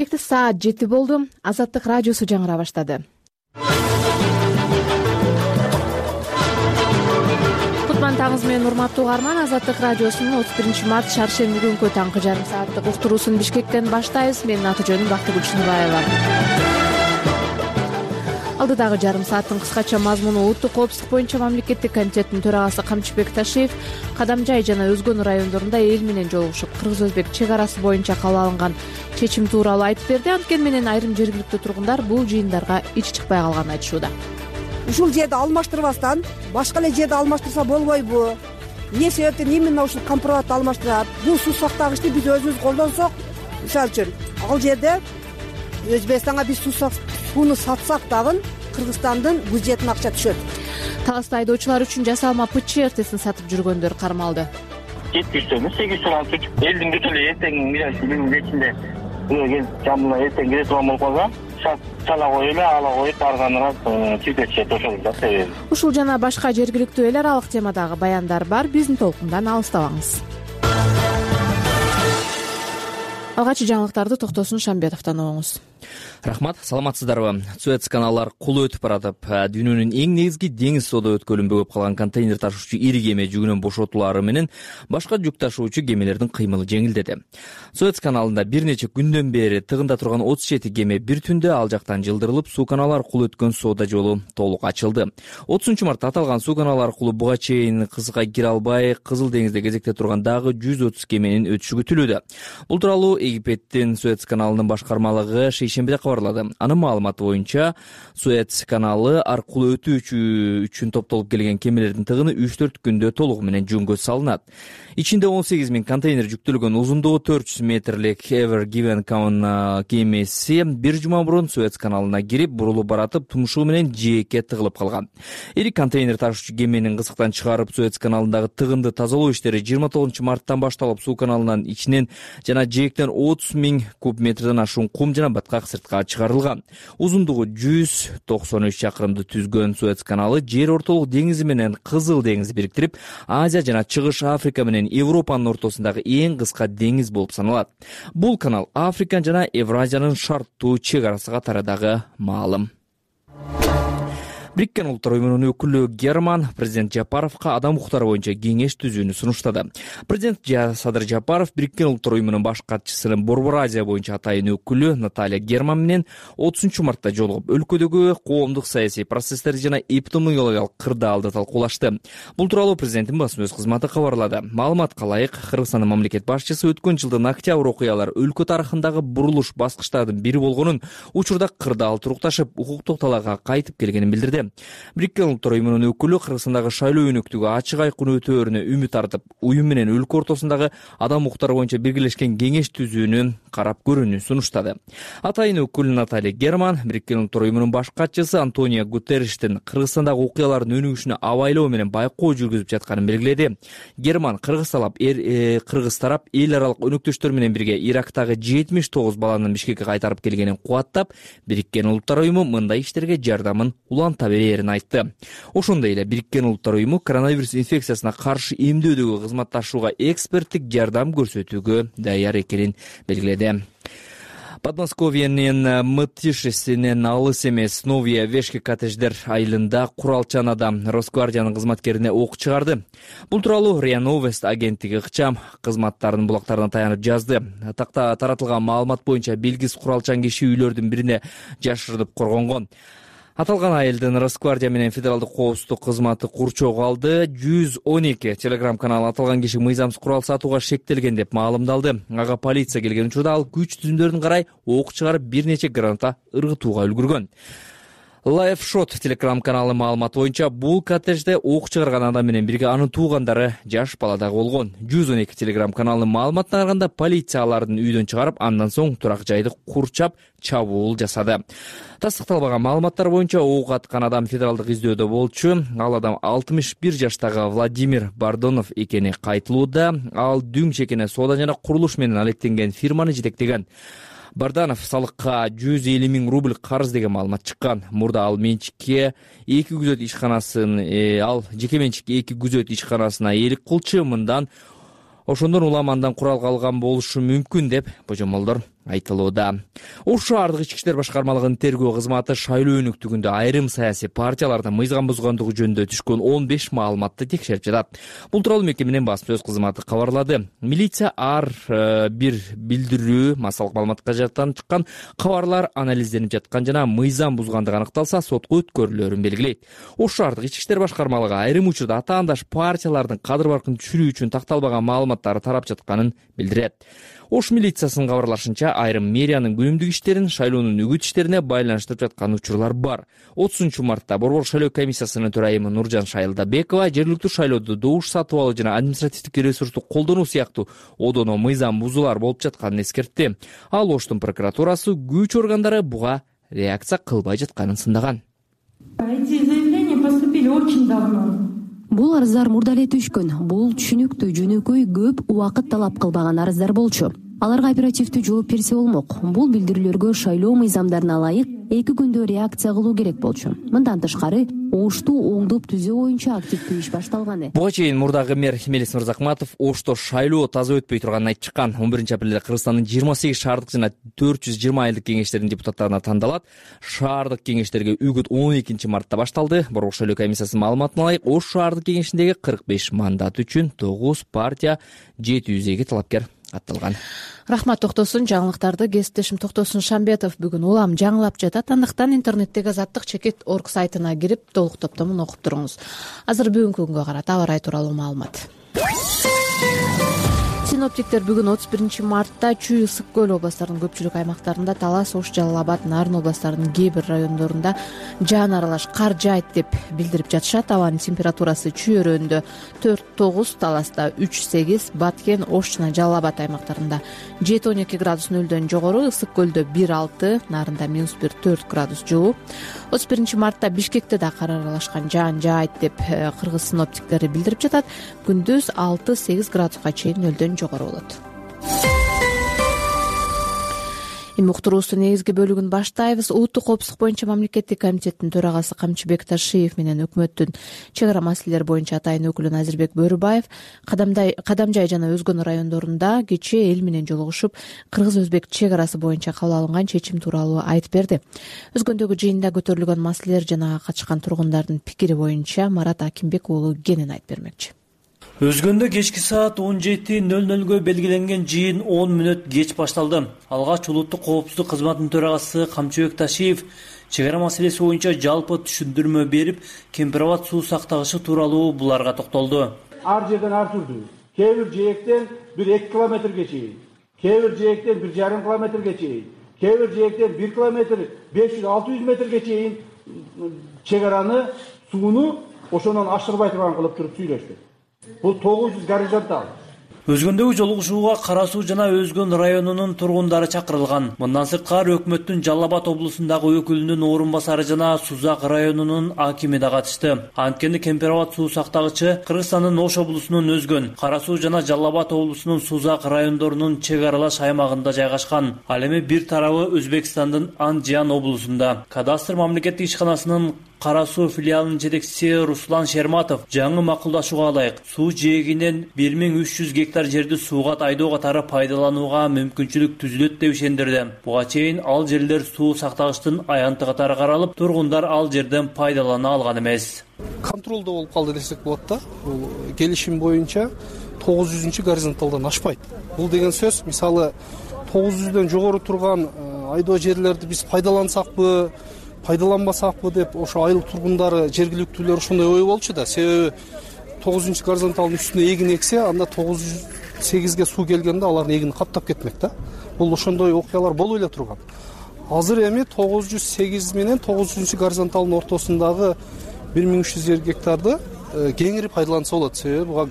Саат 7 болду. Азаттык радиосу жаңыра баштады. Кутман таңыз менен урматтуу угарман, Азаттык радиосунун 31 март шаршемби күнкү таңкы жарым сааттык уктуруусун Бишкектен баштайбыз. Менин аты жөнүм Бактыгүл Чыныбаева. Алдыдагы жарым сааттын кыскача мазмуну: улуттук коопсуздук боюнча мамлекеттик комитеттин төрагасы Камчыбек Ташиев Кадамжай жана Өзгөн райондорунда эл менен жолугушуп, кыргыз-өзбек чек арасы боюнча кабыл алынган чечим тууралуу айтып берди. Анткени менен айрым жергиликтүү тургундар бул жыйындарга ичи чыкпай калганын айтышууда. Ушул жерди алмаштырбастан башка эле жерди алмаштырса болбойбу? Эмне себептен именно ушул компроматты алмаштырат? Бул суу сактагычты биз өзүбүз колдонсок, мисалы үчүн, ал жерде Өзбекстанга биз сууну сатсак дагы Кыргызстандын бюджетине акча түшөт. Таласта айдоочулар үчүн жасалма ПЧ-РТсин сатып жүргөндөр кармалды. 800 алып элдин бүт эле эртең ичинде жамыла эртең кире турган болуп калса, чала коюп эле ала коюп барганга чиркечет ошол да. Ушул жана башка жергиликтүү эл аралык темадагы баяндар бар. Биздин толкундан алыстабаңыз. Алгачкы жаңылыктарды Токтосун Шамбетовдон угуңуз. Рахмат, саламатсыздарбы? Суэц каналдар кулу өтүп баратып, дүйнөнүн эң негизги деңиз соода өткөлүн бөгөп калган контейнер ташуучу ири кеме жүгүнөн бошотулары менен башка жүк ташуучу кемелердин кыймылы жеңилдеди. Суэц каналында бир нече күндөн бери тыгында турган 37 кеме бир түндө ал жактан жылдырылып, суу каналы аркылуу өткөн соода жолу толук ачылды. 30-мартта аталган суу каналы аркылуу буга чейин кызга кире албай, Кызыл деңизде кезекте турган дагы 130 кеменин өтүшү күтүлүүдө. Бул тууралуу Египеттин Суэц каналынын башкармалыгы шейшембиде кабарлады. Анын маалыматы боюнча, Суэц каналы аркылуу өтүүчү үчүн топтолуп келген кемелердин тыгыны 3-4 күндө толугу менен жөнгө салынат. Ичинде 18 000 контейнер жүктөлгөн узундугу 400 метрлик Ever Given кемеси бир жума мурун Суэц каналына кирип, бурулуп баратып, тумшугу менен жээкке тыгылып калган. Ири контейнер ташуучу кеменин кызыктан чыгарып, Суэц каналындагы тыгынды тазалоо иштери 29 марттан башталып, суу каналынан ичинен жана жээктен 30 000 куб метрден ашуун кум жана баткак сыртка чыгарылган. Узундугу 193 чакырымды түзгөн Суэц каналы жер ортолук деңизи менен Кызыл деңизди бириктирип, Азия жана Чыгыш Африка менен Европанын ортосундагы эң кыска деңиз болуп саналат. Бул канал Африка жана Евразиянын шарттуу чек арасы катарындагы маалым. Бириккен Улуттар Уюмунун өкүлү Герман президент Жапаровго адам укуктары боюнча кеңеш түзүүнү сунуштады. Президент Садыр Жапаров Бириккен Улуттар Уюмунун баш катчысынын Борбор Азия боюнча атайын өкүлү Наталья Герман менен 30 мартта жолугуп, өлкөдөгү коомдук саясий процесстерди жана эпидемиологиялык кырдаалды талкуулашты. Бул тууралуу президенттин басма сөз кызматы кабарлады. Маалыматка ылайык, Кыргызстандын мамлекет башчысы өткөн жылдын октябрь окуялар өлкө тарыхындагы бурулуш баскычтардын бири болгонун, учурда кырдаал турукташып, укуктук талаага кайтып келгенин билдирди. Бириккен Улуттар Уюмунун өкүлү Кыргызстандагы шайлоо өнөктүгү ачык айкын өтөөрүнө үмүт артып, уюм менен өлкө ортосундагы адам укуктары боюнча биргелешкен кеңеш түзүүнү карап көрүүнү сунуштады. Атайын өкүл Наталья Герман Бириккен Улуттар Уюмунун баш катчысы Антонио Гутерриштин Кыргызстандагы окуялардын өнүгүшүнө абайлоо менен байкоо жүргүзүп жатканын белгиледи. Герман Кыргыз тарап эл аралык өнөктөштөр менен бирге Ирактагы 79 баланын Бишкекке кайтарып келгенин кубаттап, Бириккен Улуттар Уюму мындай иштерге жардамын уланта берерин айтты. Ошондой эле Бириккен Улуттар Уюму коронавирус инфекциясына каршы эмдөөдөгү кызматташууга эксперттик жардам көрсөтүүгө даяр экенин белгиледи. Подмосковьенин Мытышесинен алыс эмес Новия Вешки коттедждер айылында куралчанада Росгвардиянын кызматкерине ок чыгарды. Бул тууралуу РИА Новость агенттиги ыкчам кызматтарынын булактарына таянып жазды. Такта таратылган маалымат боюнча белгисиз куралчан киши үйлөрдүн бирине жашырынып коргонгон. Аталган айылдын Росгвардия менен федералдык коопсуздук кызматы курчоого алды. 112 телеграм каналы аталган киши мыйзамсыз курал сатууга шектелген деп маалымдалды. Ага полиция келген учурда ал күч түзүмдөрүн карай ок чыгарып бир нече граната ыргытууга үлгүргөн. Лайфшот телеграм каналы маалыматы боюнча бул коттеджде ок чыгарган адам менен бирге анын туугандары жаш бала дагы болгон. 112 телеграм каналынын маалыматына караганда полиция алардын үйдөн чыгарып, андан соң турак жайды курчап чабуул жасады. Тастыкталбаган маалыматтар боюнча ок аткан адам федералдык издөөдө болчу. Ал адам 61 жаштагы Владимир Бардонов экени кайтылууда. Ал дүң чекене соода жана курулуш менен алектенген фирманы жетектеген. Барданов салыкка 150 000 рубль карыз деген маалымат чыккан. Мурда ал менчикке жеке менчикке 2 күзөт ишканасына ээлик кылчу. Мындан ошондон улам андан курал калган болушу мүмкүн деп божомолдор айтылууда. Ош шаардык ички иштер башкармалыгынын тергөө кызматы шайлоо өнүктүгүндө айрым саясий партиялардын мыйзам бузгандыгы жөнүндө түшкөн 15 маалыматты текшерип жатат. Бул тууралуу мекеменин басма-сөз кызматы кабарлады. Милиция ар бир билдирүү массалык маалыматка жаттан чыккан кабарлар анализденип жаткан жана мыйзам бузгандыгы аныкталса сотко өткөрүлөрүн белгилейт. Ош шаардык ички иштер башкармалыгы айрым учурда атаандаш партиялардын кадыр баркын түшүрүү үчүн такталбаган маалыматтары тарап жатканын билдирет. Ош милициясынын кабарлашынча айрым мэриянын күнүмдүк иштерин шайлоонун үгүт иштерине байланыштырып жаткан учурлар бар. 30 мартта Борбор шайлоо комиссиясынын төрайымы Нуржан Шайылдабекова жергиликтүү шайлоодо добуш сатып алуу жана административдик ресурсту колдонуу сыяктуу одоно мыйзам бузуулар болуп жатканын эскертти. Ал Оштун прокуратурасы күч органдары буга реакция кылбай жатканын сындаган. Эти заявления поступили очень давно. Бул арыздар мурда эле түшкөн. Бул түшүнүктүү, жөнөкөй, көп убакыт талап кылбаган арыздар болчу. Аларга оперативдүү жооп берсе болмок. Бул билдирүүлөргө шайлоо мыйзамдарына ылайык 2 күндө реакция кылуу керек болчу. Мындан тышкары Ошту оңдоп түзөө боюнча активдүү иш башталган. Буга чейин мурдагы мэр Мелис Мырзакматов Ошто шайлоо таза өтпөй турганын айтып чыккан. 11 апрелде Кыргызстандын 28 шаардык жана 420 айылдык кеңештеринин депутаттарына тандалат. Шаардык кеңештерге үгүт 12 мартта башталды. Борбор шайлоо комиссиясынын маалыматына ылайык Ош шаардык кеңешиндеги 45 мандат үчүн 9 партия 702 талапкер атталган. Рахмат токтосун. Жаңылыктарды кесиптешим Токтосун Шамбетов бүгүн улам жаңылап жатат. Андыктан интернеттеги азаттык чекит орг сайтына кирип толук топтомун окуп туруңуз. Азыр бүгүнкү күнгө карата аба ырайы тууралуу маалымат. Синоптиктер бүгүн 31 мартта Чүй, Ысык көл областарынын көпчүлүк аймактарында, Талас, Ош, Жалал Абад, Нарын областарынын кээ бир райондорунда жаан аралаш кар жаайт деп билдирип жатышат. Абанын температурасы Чүй өрөөнүндө 4-9, Таласта 3-8, Баткен, Ош жана Жалал Абад аймактарында 7-12 градус нөлдөн жогору, Ысык көлдө 1-6, Нарында -1-4 градус жылуу. 31 мартта Бишкекте да кар аралашкан жаан жаайт деп кыргыз синоптиктери билдирип жатат. Күндүз 6-8 градуска чейин нөлдөн жогору болот. Эми уктуруубуздун негизги бөлүгүн баштайбыз. Улуттук коопсуздук боюнча мамлекеттик комитеттин төрагасы Камчыбек Ташиев менен өкмөттүн чек ара маселелери боюнча атайын өкүлү Назирбек Бөрүбаев Кадамжай жана өзгөн райондорунда кечээ эл менен жолугушуп, кыргыз-өзбек чек арасы боюнча кабыл алынган чечим тууралуу айтып берди. Өзгөндөгү жыйында көтөрүлгөн маселелер жана катышкан тургундардын пикири боюнча Марат Акимбек уулу кенен айтып бермекчи. Өзгөндө кечки саат 17:00 белгиленген жыйын 10 мүнөт кеч башталды. Алгач улуттук коопсуздук кызматынын төрагасы Камчыбек Ташиев чек ара маселеси боюнча жалпы түшүндүрмө берип, кемпирабад суу сактагычы тууралуу буларга токтолду. Ар жерден ар түрдүү. Кээ бир жээктен 1-2 километрге чейин, кээ бир жээктен 1,5 километрге чейин, кээ бир жээктен 1 километр 500-600 метрге чейин чек араны сууну ошондон ашырбай турган кылып туруп сүйлөштү. Бул 900 горизонтал. Өзгөндөгү жолугушууга Кара Суу жана Өзгөн районунун тургундары чакырылган. Мындан сырткары өкмөттүн Жалал Абад облусундагы өкүлүнүн орун басары жана Сузак районунун акими да катышты. Анткени Кемпирабад суу сактагычы Кыргызстандын Ош облусунун Өзгөн, Кара Суу жана Жалал Абад облусунун Сузак райондорунун чек аралаш аймагында жайгашкан. Ал эми бир тарабы Өзбекстандын Андижан облусунда. Кадастр мамлекеттик ишканасынын Кара Суу филиалынын жетекчиси Руслан Шерматов жаңы макулдашууга ылайык суу жээгинен 1300 гектар жерди сууга тайдоо катары пайдаланууга мүмкүнчүлүк түзүлөт деп ишендирди. Буга чейин ал жерлер суу сактагычтын аянты катары каралып, тургундар ал жерден пайдалана алган эмес. Контролдо болуп калды десек болот да. Бул келишим боюнча 900 горизонталдан ашпайт. Бул деген сөз, мисалы 900дөн жогору турган айдоо жерлерди биз пайдалансакпы, пайдаланбасакпы деп ошо айыл тургундары, жергиликтүүлөр ошондой ой болчу да. Себеби 900 горизонталдын үстүнө эгин эксе, анда 908ге суу келгенде алардын эгини каптап кетмек да. Бул ошондой окуялар болуп эле турган. Азыр эми 908 менен 900 горизонталдын ортосундагы 1300 гектарды кеңири пайдаланса болот. Себеби буга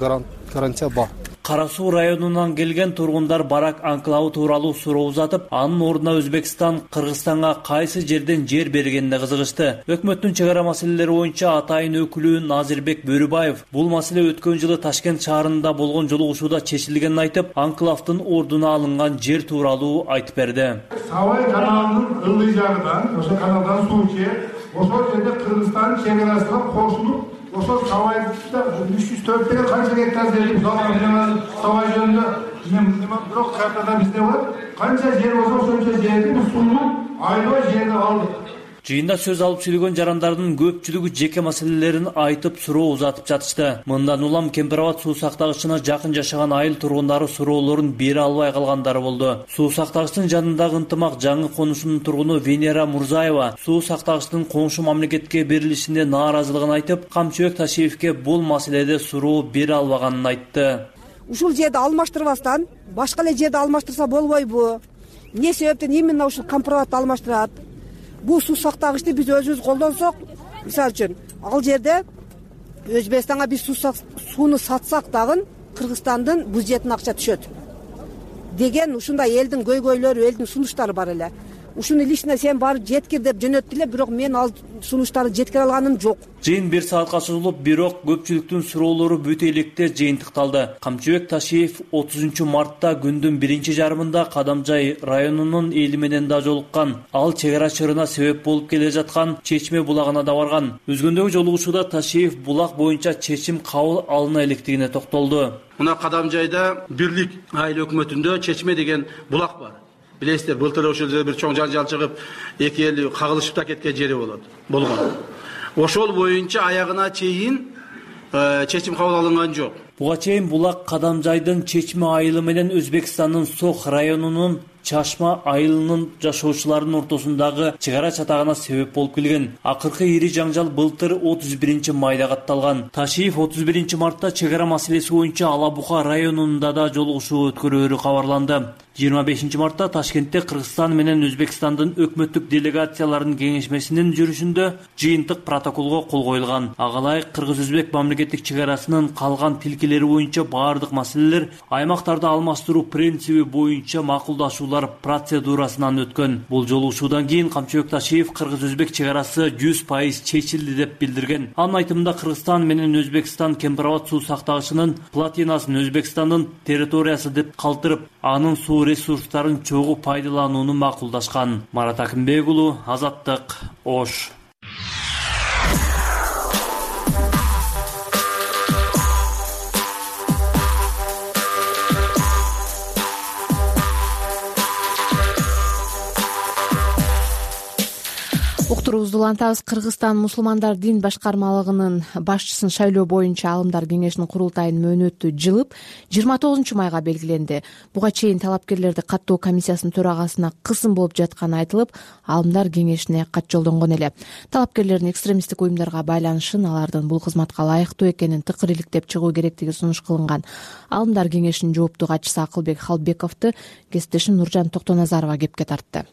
гарантия бар. Кара Суу районунан келген тургундар барак анклавы тууралуу суроо узатып, анын ордуна Өзбекстан Кыргызстанга кайсы жерден жер бергенине кызыгышты. Өкмөттүн чек ара маселелери боюнча атайын өкүлү Назирбек Бөрүбаев бул маселе өткөн жылы Ташкент шаарында болгон жолугушууда чечилгенин айтып, анклавдын ордуна алынган жер тууралуу айтып берди. Савай каналынын ылдый жагынан, ошо каналдан суу чек, ошол жерде Кыргызстан чек арасына кошулуп, ошол Савайда 304 деген канча гектар жер, Савай жөнүндө бирок картада бизде бар. Канча жер болсо ошончо жерди биз сулуу айлоо жерди алдык. Жыйында сөз алып сүйлөгөн жарандардын көпчүлүгү жеке маселелерин айтып суроо узатып жатышты. Мындан улам Кемпир Абад суу сактагычына жакын жашаган айыл тургундары суроолорун бере албай калгандары болду. Суу сактагычтын жанындагы ынтымак жаңы конушунун тургуну Венера Мурзаева суу сактагычтын коңшу мамлекетке берилишине нааразылыгын айтып, Камчыбек Ташиевке бул маселеде суроо бере албаганын айтты. Ушул жерди алмаштырбастан башка эле жерди алмаштырса болбойбу? Эмне себептен именно ушул Компробатты алмаштырат? Бул суу сактагычты биз өзүбүз колдонсок, мисалы үчүн, ал жерде Өзбекстанга биз сууну сатсак дагы Кыргызстандын бюджетине акча түшөт деген ушундай элдин көйгөйлөрү, элдин сунуштары бар эле. Ушуну лично сен барып жеткир деп жөнөттү эле, бирок мен ал сунуштарды жеткире алганым жок. Жыйын 1 саатка созулуп, бирок көпчүлүктүн суроолору бүт электе жыйынтыкталды. Камчыбек Ташиев 30 мартта күндүн 1 жарымында Кадамжай районунун эли менен да жолуккан. Ал чек ара чырына себеп болуп келе жаткан Чечме булагына да барган. Өзгөндөгү жолугушууда Ташиев булак боюнча чечим кабыл алына электигине токтолду. Мына Кадамжайда бирлик айыл өкмөтүндө Чечме деген булак бар. Билесиздер, былтыр ошол жерде бир чоң жанжал чыгып, эки эл кагылышып да кеткен жери болгон. Ошол боюнча аягына чейин чечим кабыл алынган жок. Буга чейин булак Кадамжайдын Чечме айылы менен Өзбекстандын Сох районунун Чашма айылынын жашоочуларынын ортосундагы чек ара чатагына себеп болуп келген. Акыркы ири жаңжал былтыр 31 майда катталган. Ташиев 31 мартта чек ара маселеси боюнча Ала Бука районунда да жолугушуу өткөрөөрү кабарланды. 25 мартта Ташкентте Кыргызстан менен Өзбекстандын өкмөттүк делегацияларынын кеңешмесинин жүрүшүндө жыйынтык протоколго кол коюлган. Агалай Кыргыз-Өзбек мамлекеттик чек арасынын калган тилкелери боюнча баардык маселелер аймактарды алмаштыруу принциби боюнча макулдашуулар процедурасынан өткөн. Бул жолугушуудан кийин Камчыбек Ташиев Кыргыз-Өзбек чек арасы 100% чечилди деп билдирген. Анын айтымында Кыргызстан менен Өзбекстан Кемпир Абад суу сактагычынын плотинасын Өзбекстандын территориясы деп калтырып, анын суу ресурстарын чогуу пайдаланууну макулдашкан. Марат Акимбек уулу, Азаттык, Ош. Уктуруубузду улантабыз. Кыргызстан мусулмандар дин башкармалыгынын башчысын шайлоо боюнча алымдар кеңешинин курултайынын мөөнөтү жылып 29 майга белгиленди. Буга чейин талапкерлерди каттоо комиссиясынын төрагасына кысым болуп жатканы айтылып, алымдар кеңешине кат жолдонгон эле. Талапкерлердин экстремисттик уюмдарга байланышын, алардын бул кызматка ылайыктуу экенин тыкыр-иликтеп чыгуу керектиги сунуш кылынган. Алымдар кеңешинин жооптуу катчысы Акылбек Халбековду кесиптешим Нуржан Токтоназарова кепке тартты.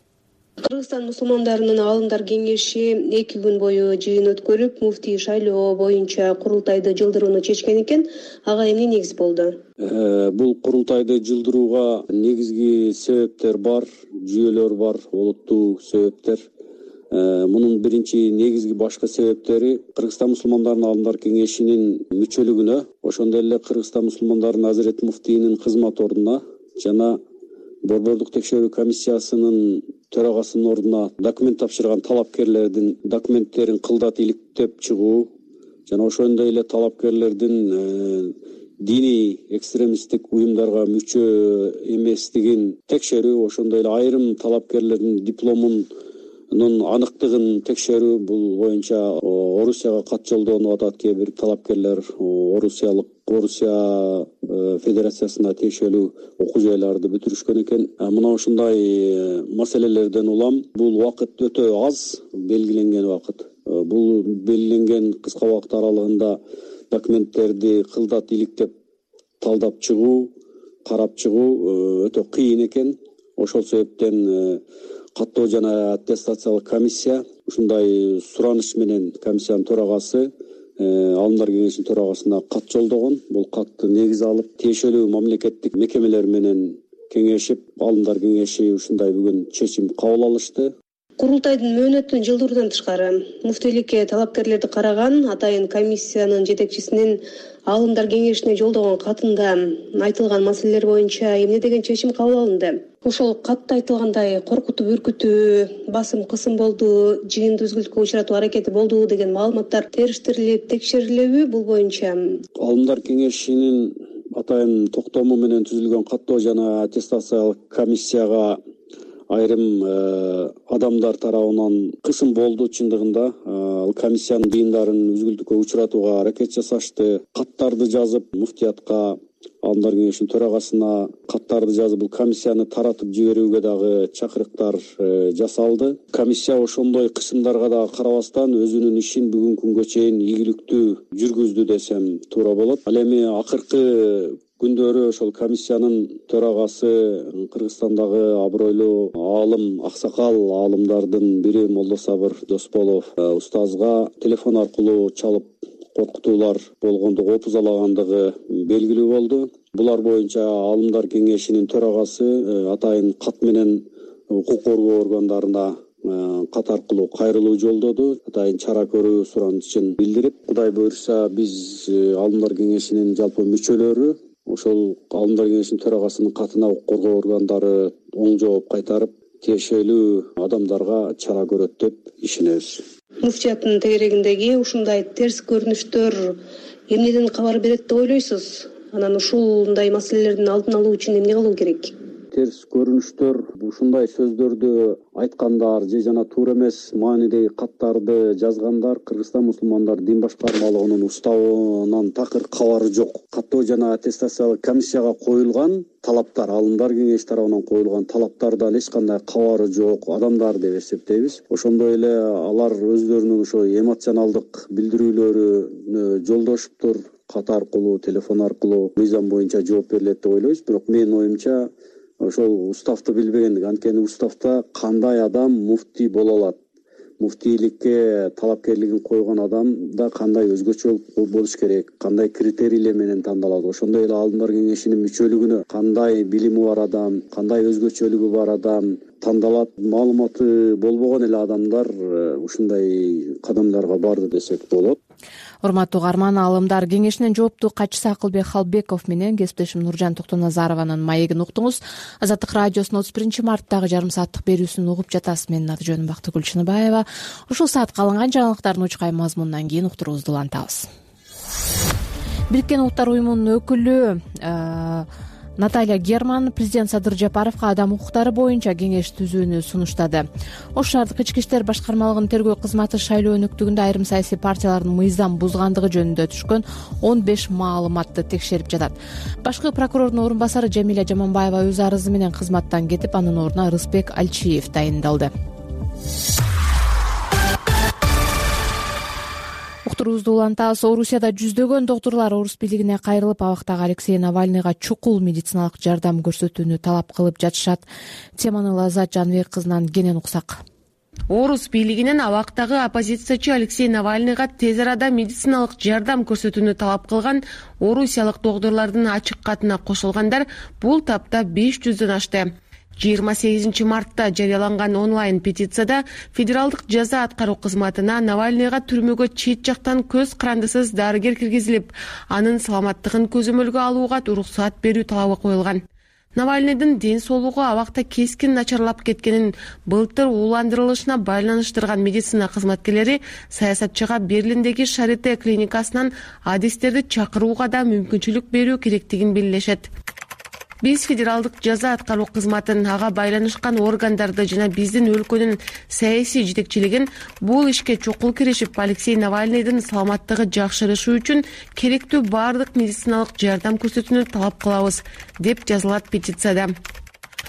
Кыргызстан мусулмандарынын алымдар кеңеши 2 күн бою жыйын өткөрүп, муфтий шайлоо боюнча курултайды жылдырууну чечкен экен. Ага эмне негиз болду? Бул курултайды жылдырууга негизги себептер бар, жүйөлөр бар, олуттуу себептер. Мунун биринчи негизги башкы себептери Кыргызстан мусулмандарынын алымдар кеңешинин мүчөлүгүнө, ошондой эле Кыргызстан мусулмандарынын Азирет муфтийинин кызмат ордуна жана Борбордук текшерүү комиссиясынын төрагасынын ордуна документ тапшырган талапкерлердин документтерин кылдат иликтеп чыгуу жана ошондой эле талапкерлердин диний экстремисттик уюмдарга мүчө эместигин текшерүү, ошондой эле айрым талапкерлердин дипломунун аныктыгын текшерүү. Бул боюнча Орусияга кат жолдонуп атат кээ бир талапкерлер. Орусия Федерациясына тиешелүү окуу жайларды бүтүрүшкөн экен. Мына ушундай маселелерден улам бул убакыт өтө аз, белгиленген убакыт. Бул белгиленген кыска убакыт аралыгында документтерди кылдат иликтеп талдап чыгуу, карап чыгуу өтө кыйын экен. Ошол себептен каттоо жана аттестациялык комиссия ушундай сураныш менен комиссиянын төрагасы алымдар кеңешинин төрагасына кат жолдогон. Бул катты негиз алып, тиешелүү мамлекеттик мекемелер менен кеңешип, алымдар кеңеши ушундай бүгүн чечим кабыл алышты. Курултайдын мөөнөтүн жылдыруудан тышкары муфтийликке талапкерлерди караган атайын комиссиянын жетекчисинин алымдар кеңешине жолдогон катында айтылган маселелер боюнча эмне деген чечим кабыл алынды? Ошол катта айтылгандай коркутуп, үркүтүү, басым, кысым болду, жыйынды үзгүлтүккө учуратуу аракети болду деген маалыматтар териштирилип, текшерилеби? Бул боюнча алымдар кеңешинин атайын токтому менен түзүлгөн каттоо жана аттестациялык комиссияга айрым адамдар тарабынан кысым болду. Чындыгында ал комиссиянын жыйындарын үзгүлтүккө учуратууга аракет жасашты. Каттарды жазып муфтиятка, Аалымдар кеңешинин төрагасына каттарды жазып бул комиссияны таратып жиберүүгө дагы чакырыктар жасалды. Комиссия ошондой кысымдарга дагы карабастан өзүнүн ишин бүгүнкү күнгө чейин ийгиликтүү жүргүздү десем туура болот. Ал эми акыркы күндөрү ошол комиссиянын төрагасы Кыргызстандагы абройлуу аалым, аксакал аалымдардын бири Молдосабыр Досболов устазга телефон аркылуу чалып коркутуулар болгондугу, опузалагандыгы белгилүү болду. Булар боюнча Аалымдар кеңешинин төрагасы атайын кат менен укук коргоо органдарына кат аркылуу кайрылуу жолдоду. Атайын чара көрүү суранышын билдирип, Кудай буйруса биз Аалымдар кеңешинин жалпы мүчөлөрү ошол Аалымдар кеңешинин төрагасынын катына укук коргоо органдары оң жооп кайтарып, тиешелүү адамдарга чара көрөт деп ишенебиз. Муфтияттын тегерегиндеги ушундай терс көрүнүштөр эмнеден кабар берет деп ойлойсуз? Анан ушундай маселелердин алдын алуу үчүн эмне кылуу керек? Терс көрүнүштөр ушундай сөздөрдү айткандар же жана туура эмес маанидеги каттарды жазгандар Кыргызстан мусулмандар дин башкармалыгынын уставынан такыр кабары жок. Каттоо жана аттестациялык комиссияга коюлган талаптар, Аалымдар кеңеши тарабынан коюлган талаптардан эч кандай кабары жок адамдар деп эсептейбиз. Ошондой эле алар өздөрүнүн ошо эмоционалдык билдирүүлөрүнө жолдошуптур. Кат аркылуу, телефон аркылуу мыйзам боюнча жооп берилет деп ойлойбуз. Бирок менин оюмча ошол уставды билбегендик. Анткени уставда кандай адам муфтий боло алат, муфтийликке талапкерлигин койгон адам да кандай өзгөчө болуш керек, кандай критерийлер менен тандалат. Ошондой эле Аалымдар кеңешинин мүчөлүгүнө кандай билими бар адам, кандай өзгөчөлүгү бар адам тандалат. Маалыматы болбогон эле адамдар ушундай кадамдарга барды десек болот. Урматтуу угарман, Аалымдар кеңешинин жооптуу катчысы Акылбек Халбеков менен кесиптешим Нуржан Токтоназарованын маегин уктуңуз. Азаттык радиосунун 31-марттагы жарым сааттык берүүсүн угуп жатасыз. Менин аты жөнүм Бактыгүл Чыныбаева. Ушул саатка алынган жаңылыктардын учкай мазмунунан кийин уктуруубузду улантабыз. Бириккен Улуттар уюмунун өкүлү Наталья Герман президент Садыр Жапаровго адам укуктары боюнча кеңеш түзүүнү сунуштады. Ош шаардык ички иштер башкармалыгынын тергөө кызматы шайлоо өнөктүгүндө айрым саясий партиялардын мыйзам бузгандыгы жөнүндө түшкөн 15 маалыматты текшерип жатат. Башкы прокурордун орун басары Жамиля Жаманбаева өз арызы менен кызматтан кетип, анын ордуна Рыспек Альчиев тайындалды. Уктуруубузду улантабыз. Орусияда жүздөгөн доктурлар орус бийлигине кайрылып, абактагы Алексей Навальныйга чукул медициналык жардам көрсөтүүнү талап кылып жатышат. Теманы Лаззат Жаныбек кызынан кенен уксак. Орус бийлигинен абактагы оппозициячы Алексей Навальныйга тез арада медициналык жардам көрсөтүүнү талап кылган орусиялык доктурлардын ачык катына кошулгандар бул тапта 500дөн ашты. 28 мартта жарыяланган онлайн петицияда федералдык жаза аткаруу кызматына Навальныйга түрмөгө чет жактан көз карандысыз дарыгер киргизилип, анын саламаттыгын көзөмөлгө алууга уруксат берүү талабы коюлган. Навальныйдын ден соолугу абакта кескин начарлап кеткенин былтыр ууландырылышына байланыштырган медицина кызматкерлери саясатчыга Берлиндеги Шарите клиникасынан адистерди чакырууга да мүмкүнчүлүк берүү керектигин белгилешет. Биз федералдык жаза аткаруу кызматын, ага байланышкан органдарды жана биздин өлкөнүн саясий жетекчилигин бул ишке чукул киришип, Алексей Навальныйдын саламаттыгы жакшырышы үчүн керектүү баардык медициналык жардам көрсөтүүнү талап кылабыз, деп жазылат петицияда.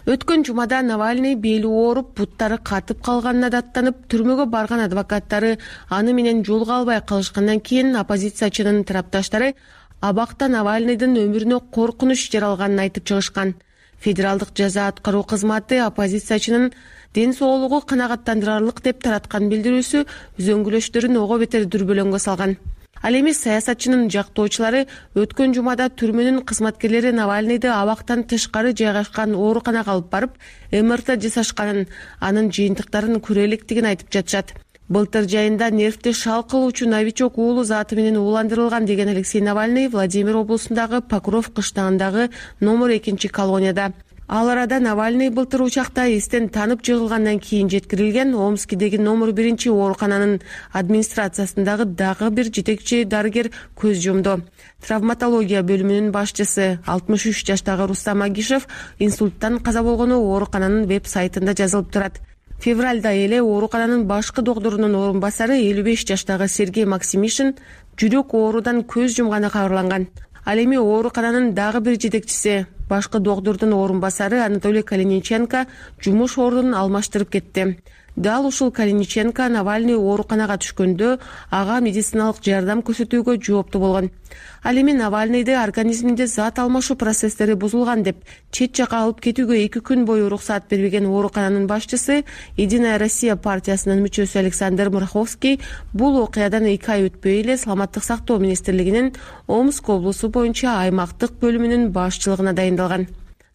Өткөн жумада Навальный бели ооруп, буттары катып калганына даттанып, түрмөгө барган адвокаттары аны менен жолуга албай калышкандан кийин оппозициячынын тарапташтары абакта Навальныйдын өмүрүнө коркунуч жаралганын айтып чыгышкан. Федералдык жаза аткаруу кызматы оппозициячынын ден соолугу канагаттандырарлык деп тараткан билдирүүсү үзөңгүлөштөрүн ого бетер дүрбөлөңгө салган. Ал эми саясатчынын жактоочулары өткөн жумада түрмөнүн кызматкерлери Навальныйды абактан тышкары жайгашкан ооруканага алып барып, МРТ жасашканын, анын жыйынтыктарын көрө электигин айтып жатышат. Былтыр жайында нервти шал кылуучу новичок уулу заты менен ууландырылган деген Алексей Навальный Владимир облусундагы Покров кыштагындагы номер 2 колонияда. Ал арада Навальный былтыр учакта эстен танып жыгылгандан кийин жеткирилген Омскидеги номер 1 оорукананын администрациясындагы дагы бир жетекчи дарыгер көз жумду. Травматология бөлүмүнүн башчысы 63 жаштагы Рустам Агишев инсульттан каза болгону оорукананын веб-сайтында жазылып турат. Февралда эле оорукананын башкы доктурунун орун басары 55 жаштагы Сергей Максимишин жүрөк оорудан көз жумганы кабарланган. Ал эми оорукананын дагы бир жетекчиси, башкы доктурдун орун басары Анатолий Калиниченко жумуш ордун алмаштырып кетти. Дал ушул Калиниченко Навальный ооруканага түшкөндө ага медициналык жардам көрсөтүүгө жооптуу болгон. Ал эми Навальныйды организминде зат алмашуу процесстери бузулган деп чет жака алып кетүүгө 2 күн бою уруксаат бербеген оорукананын башчысы Единая Россия партиясынын мүчөсү Александр Мураховский бул окуядан 2 ай өтпөй эле Саламаттык сактоо министрлигинин Омск облусу боюнча аймактык бөлүмүнүн башчылыгына дайындалган.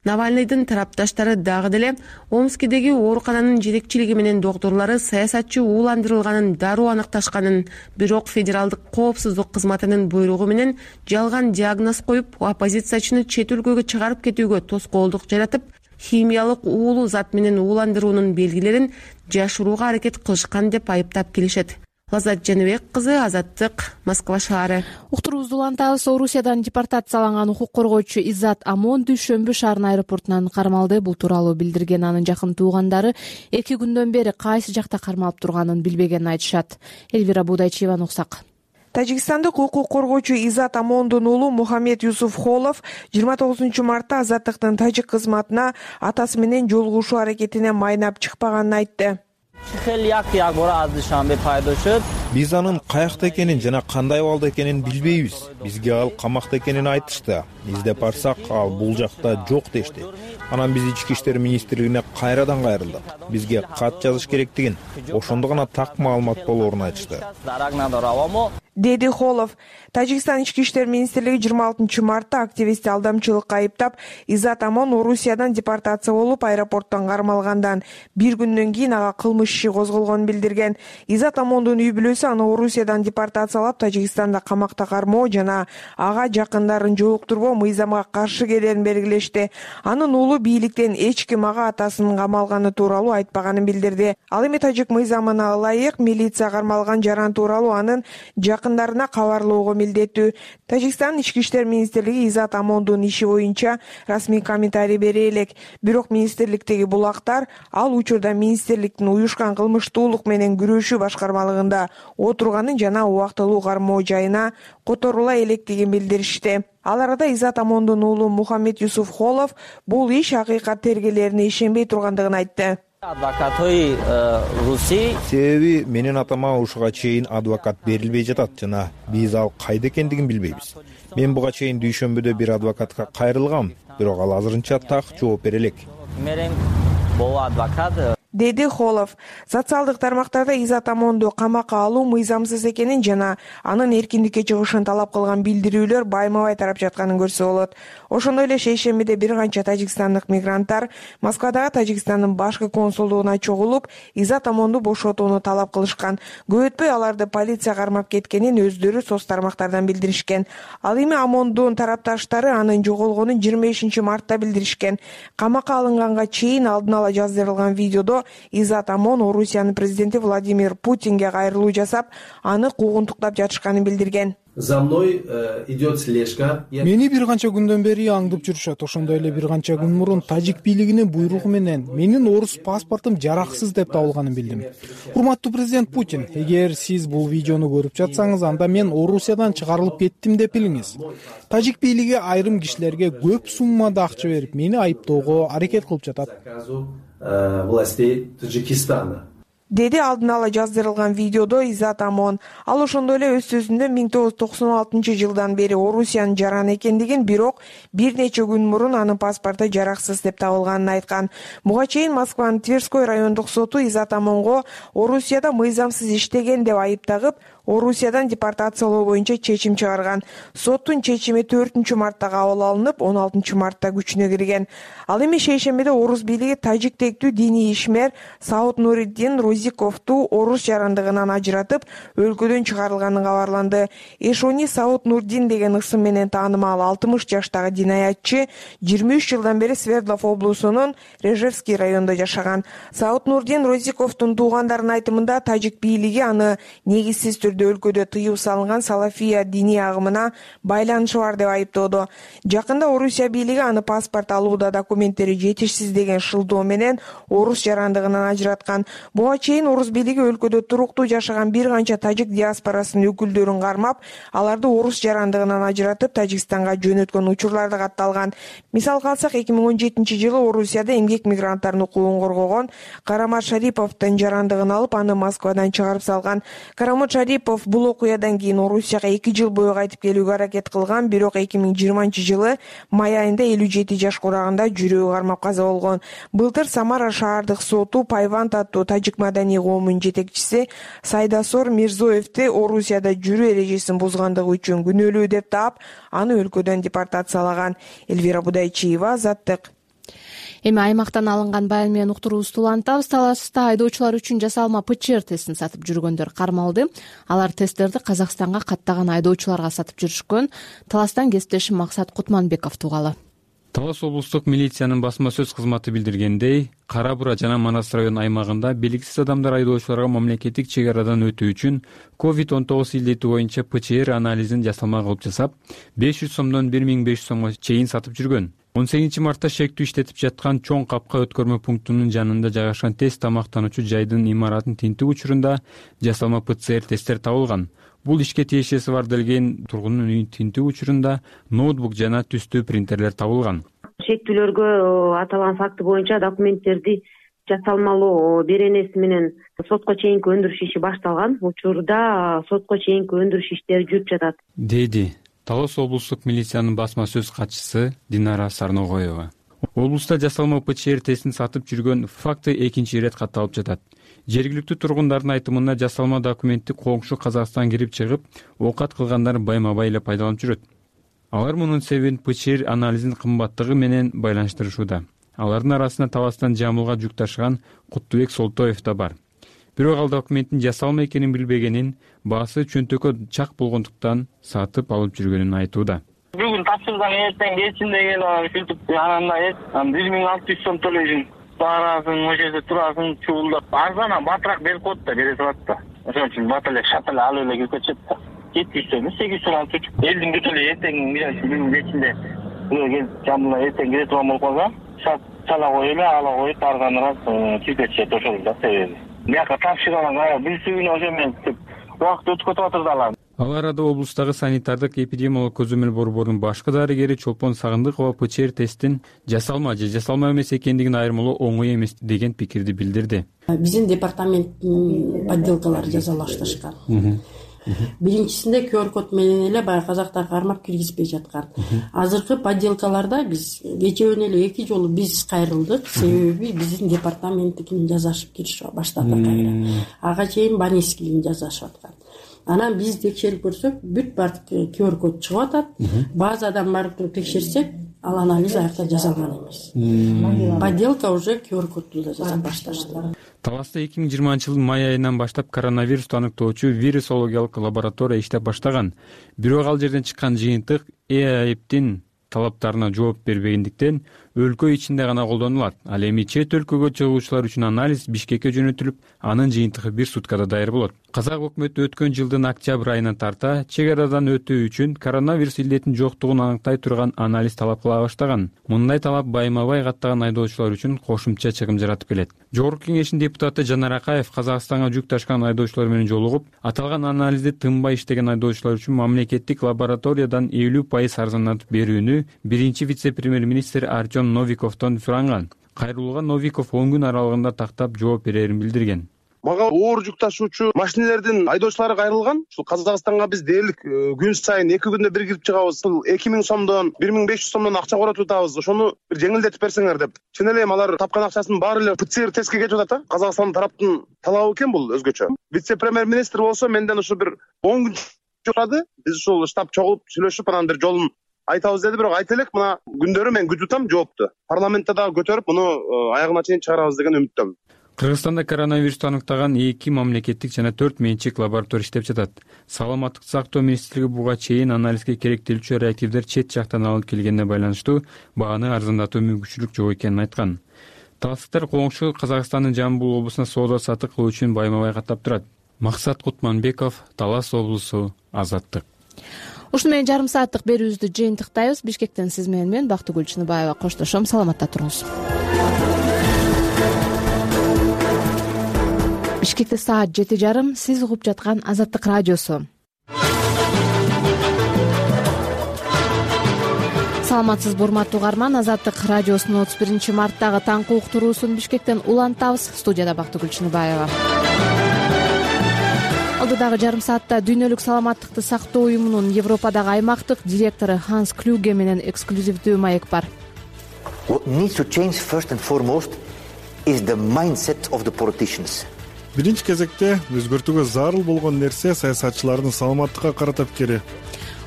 Навальныйдын тарапташтары дагы деле Омскидеги оорукананын жетекчилиги менен доктурлары саясатчы ууландырылганын дароо аныкташканын, бирок федералдык коопсуздук кызматынын буйругу менен жалган диагноз коюп, оппозициячыны чет өлкөгө чыгарып кетүүгө тоскоолдук жаратып, химиялык уулуу зат менен ууландыруунун белгилерин жашырууга аракет кылышкан деп айыптап келишет. Лазат Жаныбек кызы, Азаттык, Москва шаары. Уктуруубузду улантабыз. Орусиядан депортацияланган укук коргоочу Иззат Амон Дүйшөмбү шаарынын аэропортунан кармалды. Бул тууралуу билдирген анын жакын туугандары 2 күндөн бери кайсы жакта кармалып турганын билбегенин айтышат. Элвира Будайчиеванын уксак. Тажикстандык укук коргоочу Иззат Амондун уулу Мухаммед Юсуф Холов 29 мартта Азаттыктын тажик кызматына атасы менен жолугушуу аракетине майнап чыкпаганын айтты. Биз анын каякта экенин жана кандай абалда экенин билбейбиз. Бизге ал камакта экенин айтышты. Издеп барсак, ал бул жакта жок дешти. Анан биз Ички иштер министрлигине кайрадан кайрылдык. Бизге кат жазыш керектигин, ошондо гана так маалымат болоорун айтышты. Деди Холов. Тажикстан Ички иштер министрлиги 26 мартта активистти алдамчылыкка айыптап, Иззат Амон Орусиядан депортация болуп, аэропорттон кармалгандан 1 күндөн кийин ага кылмыш иши козголгонун билдирген. Иззат Амондун үй бүлөсү аны Орусиядан депортациялап, Тажикстанда камакта кармоо жана ага жакындарын жолуктурбоо мыйзамга каршы келерин белгилешти. Анын уулу бийликтен эч ким ага атасынын камалганы тууралуу айтпаганын билдирди. Ал эми тажик мыйзамына ылайык милиция кармалган жаран тууралуу анын жакындарына кабарлоого милдеттүү. Тажикстан Ички иштер министрлиги Иззат Амондун иши боюнча расмий комментарий бере элек. Бирок министрликтеги булактар ал учурда министрликтин уюшкан кылмыштуулук менен күрөшүү башкармалыгында отурганын жана убактылуу кармоо жайына которула электигин билдиришти. Ал арада Иззат Амондун уулу Мухаммед Юсуф Холов бул иш акыйкат тергээлерине ишенбей тургандыгын айтты. Себеби менин атама ушуга чейин адвокат берилбей жатат жана биз ал кайда экендигин билбейбиз. Мен буга чейин Дүйшөмбүдө бир адвокатка кайрылгам, бирок ал азырынча так жооп бере элек. Деди Холов. Социалдык тармактарда Иззат Амонду камакка алуу мыйзамсыз экенин жана анын эркиндикке чыгышын талап кылган билдирүүлөр байма-бай тарап жатканын көрсө болот. Ошондой эле шейшембиде бир канча тажикстандык мигранттар Москвадагы Тажикстандын башкы консулдугуна чогулуп, Иззат Амонду бошотууну талап кылышкан. Көп өтпөй аларды полиция кармап кеткенин өздөрү соц тармактардан билдиришкен. Ал эми Амондун тарапташтары анын жоголгонун 25 мартта билдиришкен. Камакка алынганга чейин алдын ала жаздырылган видеодо Иззат Амон Орусиянын президенти Владимир Путинге кайрылуу жасап, аны куугунтуктап жатышканын билдирген. За мной идет слежка. Мени бир канча күндөн бери аңдып жүрүшөт. Ошондой эле бир канча күн мурун тажик бийлигинин буйругу менен менин орус паспортум жараксыз деп табылганын билдим. Урматтуу президент Путин, эгер сиз бул видеону көрүп жатсаңыз, анда мен Орусиядан чыгарылып кеттим деп билиңиз. Тажик бийлиги айрым кишилерге көп суммада акча берип, мени айыптоого аракет кылып жатат. Властей Таджикистана. Деди алдын ала жаздырылган видеодо Иззат Амон. Ал ошондой эле өз сөзүндө 1996 жылдан бери Орусиянын жараны экендигин, бирок бир нече күн мурун анын паспорту жараксыз деп табылганын айткан. Буга чейин Москванын Тверской райондук соту Иззат Амонго Орусияда мыйзамсыз иштеген деп айыптагып, Орусиядан депортациялоо боюнча чечим чыгарган. Соттун чечими 4-мартта кабыл алынып, 16-мартта күчүнө кирген. Ал эми шейшембиде орус бийлиги тажик тектүү диний ишмер Саут Нуриддин Розиковду орус жарандыгынан ажыратып, өлкөдөн чыгарылганын кабарланды. Эшони Саут Нурдин деген ысым менен таанымал 60 жаштагы динаятчы 23 жылдан бери Свердлов облусунун Режевский районунда жашаган. Саут Нурдин Розиковдун туугандарынын айтымында тажик бийлиги аны негизсиз түрдө өлкөдө тыюу салынган салафия диний агымына байланышы бар деп айыптоодо. Жакында Орусия бийлиги аны паспорт алууда документтери жетишсиз деген шылдоо менен орус жарандыгынан ажыраткан. Буга чейин орус бийлиги өлкөдө туруктуу жашаган бир канча тажик диаспорасынын өкүлдөрүн кармап, аларды орус жарандыгынан ажыратып Тажикстанга жөнөткөн учурларды катталган. Мисалга алсак, 2017-жылы Орусияда эмгек мигранттардын укугун коргогон Карамат Шариповдун жарандыгын алып, аны Москвадан чыгарып салган. Карамат Шарипов бул окуядан кийин Орусияга 2 жыл бою кайтып келүүгө аракет кылган, бирок 2020-жылы май айында 57 жаш курагында жүрөгү кармап каза болгон. Былтыр Самара шаардык соту Пайванд аттуу тажик маданий коомунун жетекчиси Сайдасор Мирзоевди Орусияда жүрүү эрежесин бузгандыгы үчүн күнөөлүү деп таап, аны өлкөдөн депортациялаган. Элвира Будайчиева, Азаттык. Эми аймактан алынган баян менен уктуруубузду улантабыз. Таласта айдоочулар үчүн жасалма ПЧР тестин сатып жүргөндөр кармалды. Алар тесттерди Казакстанга каттаган айдоочуларга сатып жүрүшкөн. Таластан кесиптешим Максат Кутманбеков тугалы. Талас облустук милициянын басма сөз кызматы билдиргендей, Кара Бура жана Манас район аймагында белгисиз адамдар айдоочуларга мамлекеттик чек арадан өтүү үчүн COVID-19 илдети боюнча ПЧР анализин жасалма кылып жасап, 500 сомдон 1500 сомго чейин сатып жүргөн. 18-мартта шектүү иштетип жаткан чоң капка өткөрмө пунктунун жанында жайгашкан тест тамактануучу жайдын имаратын тинтүү учурунда жасалма ПЦР тесттер табылган. Бул ишке тиешеси бар делген тургундун үйүн тинтүү учурунда ноутбук жана түстүү принтерлер табылган. Шектүүлөргө аталган факты боюнча документтерди жасалмалоо беренеси менен сотко чейинки өндүрүш иши башталган. Учурда сотко чейинки өндүрүш иштери жүрүп жатат, деди Талас облустук милициянын басма сөз катчысы Динара Сарногоева. Облуста жасалма ПЧР тестин сатып жүргөн факты экинчи ирет катталып жатат. Жергиликтүү тургундардын айтымында жасалма документти коңшу Казакстан кирип чыгып, оокат кылгандар байма-бай эле пайдаланып жүрөт. Алар мунун себебин ПЧР анализинин кымбаттыгы менен байланыштырышууда. Алардын арасында Таластан Жамбылга жүк ташыган Куттубек Солтоев да бар. Бирок ал документтин жасалма экенин билбегенин, баасы чөнтөккө чак болгондуктан сатып алып жүргөнүн айтууда. Бүгүн тапшырсаң эртең келсин деген ушинтип ананда 1600 сом төлөйсүң. Барасың, ошол жерде турасың, чуулдап. Арзан батыраак берип коет да, бере турат да. Ошон үчүн бат эле шат эле алып эле кирип кетишет да. 700 сом, 800 сом алып жүрүп, элдин бүтүн эле эртең күнүнүн кечинде Жамбылга эртең кире турган болуп калса, шат чала коюп эле ала коюп барган раз кирип кетишет ошол да себеби. Мияка тапшырган билсүгүнө ошо менен убакыт өткөтүп атыр да алар. Ал арада облустагы санитардык эпидемиологик көзөмөл борборунун башкы дарыгери Чолпон Сагындыкова ПЧР тесттин жасалма же жасалма эмес экендигин айырмалоо оңой эмес деген пикирди билдирди. Биздин департаменттин подделкалары жазалаштырышкан. Биринчисинде QR код менен эле баягы казактар кармап киргизбей жаткан. Азыркы подделкаларда биз кечеүнө эле 2 жолу биз кайрылдык, себеби биздин департаменттикин жазашып киришип баштады. Ага чейин Банискийин жазашып аткан. Анан биз текшерип көрсөк, бүт бардык QR код чыгып атат. Базадан барып туруп текшерсек, ал анализ аякта жасалган эмес. Подделка уже QR кодду да жасап башташты. Таласта 2020-жылдын май айынан баштап коронавирусту аныктоочу вирусологиялык лаборатория иштеп баштаган. Бирок ал жерден чыккан жыйынтык ЭАИПтин талаптарына жооп бербегендиктен өлкө ичинде гана колдонулат. Ал эми чет өлкөгө чыгуучулар үчүн анализ Бишкекке жөнөтүлүп, анын жыйынтыгы 1 суткада даяр болот. Казак өкмөтү өткөн жылдын октябрь айынан тарта чек арадан өтүү үчүн коронавирус илдетинин жоктугун аныктай турган анализ талап кыла баштаган. Мындай талап байма-бай каттаган айдоочулар үчүн кошумча чыгым жаратып келет. Жогорку кеңештин депутаты Жанар Акаев Казакстанга жүк ташкан айдоочулар менен жолугуп, аталган анализди тынбай иштеген айдоочулар үчүн мамлекеттик лабораториядан 50% арзандатып берүүнү биринчи вице-премьер-министр Артем Новиковдон суранган. Кайрылууга Новиков 10 күн аралыгында тактап жооп берерин билдирген. мага оор жүк ташуучу машинелердин айдоочулары кайрылган. Ушул Казакстанга биз дээрлик күн сайын 2 күндө бир кирип чыгабыз. 2000 сомдон 1500 сомдон акча коротуп атабыз. Ошону бир жеңилдетип берсеңер деп. Чын эле алар тапкан акчасынын баары эле ПЦР тестке кетип атат. Казакстан тараптын талабы экен бул өзгөчө. Вице-премьер-министр болсо менден ушу бир 10 күн чурады. Биз ушул штаб чогулуп сүйлөшүп анан бир жолун айтабыз деди, бирок айта элек мына күндөрү мен күтүп атам жоопту. Парламентте дагы көтөрүп муну аягына чейин чыгарабыз деген үмүттөмүн. Кыргызстанда коронавирусту аныктаган 2 мамлекеттик жана 4 менчик лаборатория иштеп жатат. Саламаттыкты сактоо министрлиги буга чейин анализге керектелүүчү реактивдер чет жактан алып келгенине байланыштуу бааны арзандатуу мүмкүнчүлүк жок экенин айткан. Таластыктар коңшу Казакстандын Жамбыл облусуна соода саттык кылуу үчүн байма-бай каттап турат. Максат Кутманбеков, Талас облусу, Азаттык. Ушуну менен жарым сааттык берүүбүздү жыйынтыктайбыз. Бишкектен сиз менен мен Бактыгүл Чыныбаева коштошом. Саламатта туруңуз. Бишкекте саат 7:30. Сиз угуп жаткан Азаттык радиосу. Саламатсызбы урматтуу угарман. Азаттык радиосунун 31-марттагы таңкы уктуруусун Бишкектен улантабыз. Студияда Бактыгүл Чыныбаева. Алдыдагы жарым саатта Дүйнөлүк саламаттыкты сактоо уюмунун Европадагы аймактык директору Ханс Клюге менен эксклюзивдүү маек бар. What needs to change first and foremost is the mindset of the politicians. Биринчи кезекте өзгөртүүгө зарыл болгон нерсе саясатчылардын саламаттыкка карата пикири.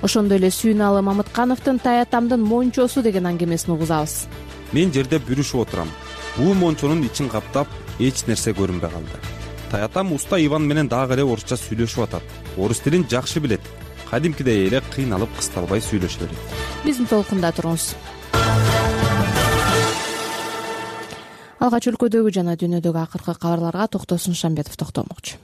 Ошондой эле Сүйүналы Мамыткановдун Таятамдын мончосу деген аңгемесин угузабыз. Мен жерде бүрүшүп отурам. Бул мончонун ичин каптап эч нерсе көрүнбөй калды. Таятам уста Иван менен дагы эле орусча сүйлөшүп атат. Орус тилин жакшы билет. Кадимкидей эле кыйналып кысталбай сүйлөшө берет. Биздин толкунда туруңуз. Алгач өлкөдөгү жана дүйнөдөгү акыркы кабарларга Токтосун Шамбетов токтолмокчу.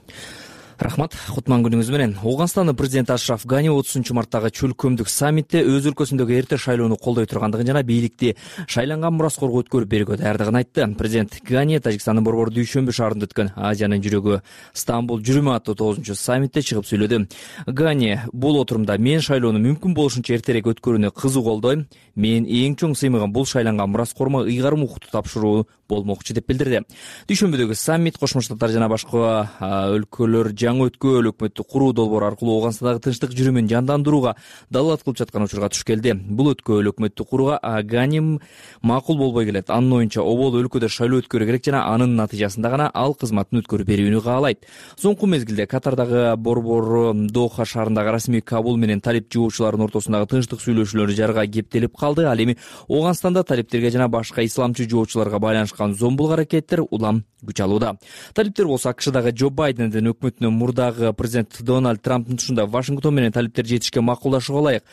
Рахмат. Кутман күнүңүз менен. Ооганстандын президенти Ашраф Гани 30-марттагы чөлкөмдүк саммитте өз өлкөсүндөгү эрте шайлоону колдой тургандыгын жана бийликти шайланган мураскорго өткөрүп берүүгө даярдыгын айтты. Президент Гани Тажикстандын борбор Дүйшөмбү шаарында өткөн Азиянын жүрөгү Стамбул жүрүмү аттуу 9-саммитте чыгып сүйлөдү. Гани бул отурумда мен шайлоону мүмкүн болушунча эртерээк өткөрүүнү кызуу колдойм. Мен эң чоң сыймыгын бул шайланган мураскормо ыйгарым укукту тапшыруу болмокчу деп билдирди. Дүйшөмбүдөгү саммит Кошмо Штаттар жана башка өлкөлөр жаңы өткөөл өкмөттү куруу долбоору аркылуу Ооганстандагы тынчтык жүрүмүн жандандырууга далаат кылып жаткан учурга туш келди. Бул өткөөл өкмөттү курууга Гани макул болбой келет. Анын оюнча обол өлкөдө шайлоо өткөрүү керек жана анын натыйжасында гана ал кызматын өткөрүп берүүнү каалайт. Соңку мезгилде Катардагы борбор Доха шаарындагы расмий Кабул менен талип жуучулардын ортосундагы тынчтык сүйлөшүүлөрү жарга кептелип калды. Ал эми Ооганстанда талиптерге жана башка исламчы жоочуларга байланышкан зомбулук аракеттер улам күч алууда. Талиптер болсо АКШдагы Джо Байдендин өкмөтүнүн мурдагы президент Дональд Трамптын тушунда Вашингтон менен талиптерди жетишке макулдашууга ылайык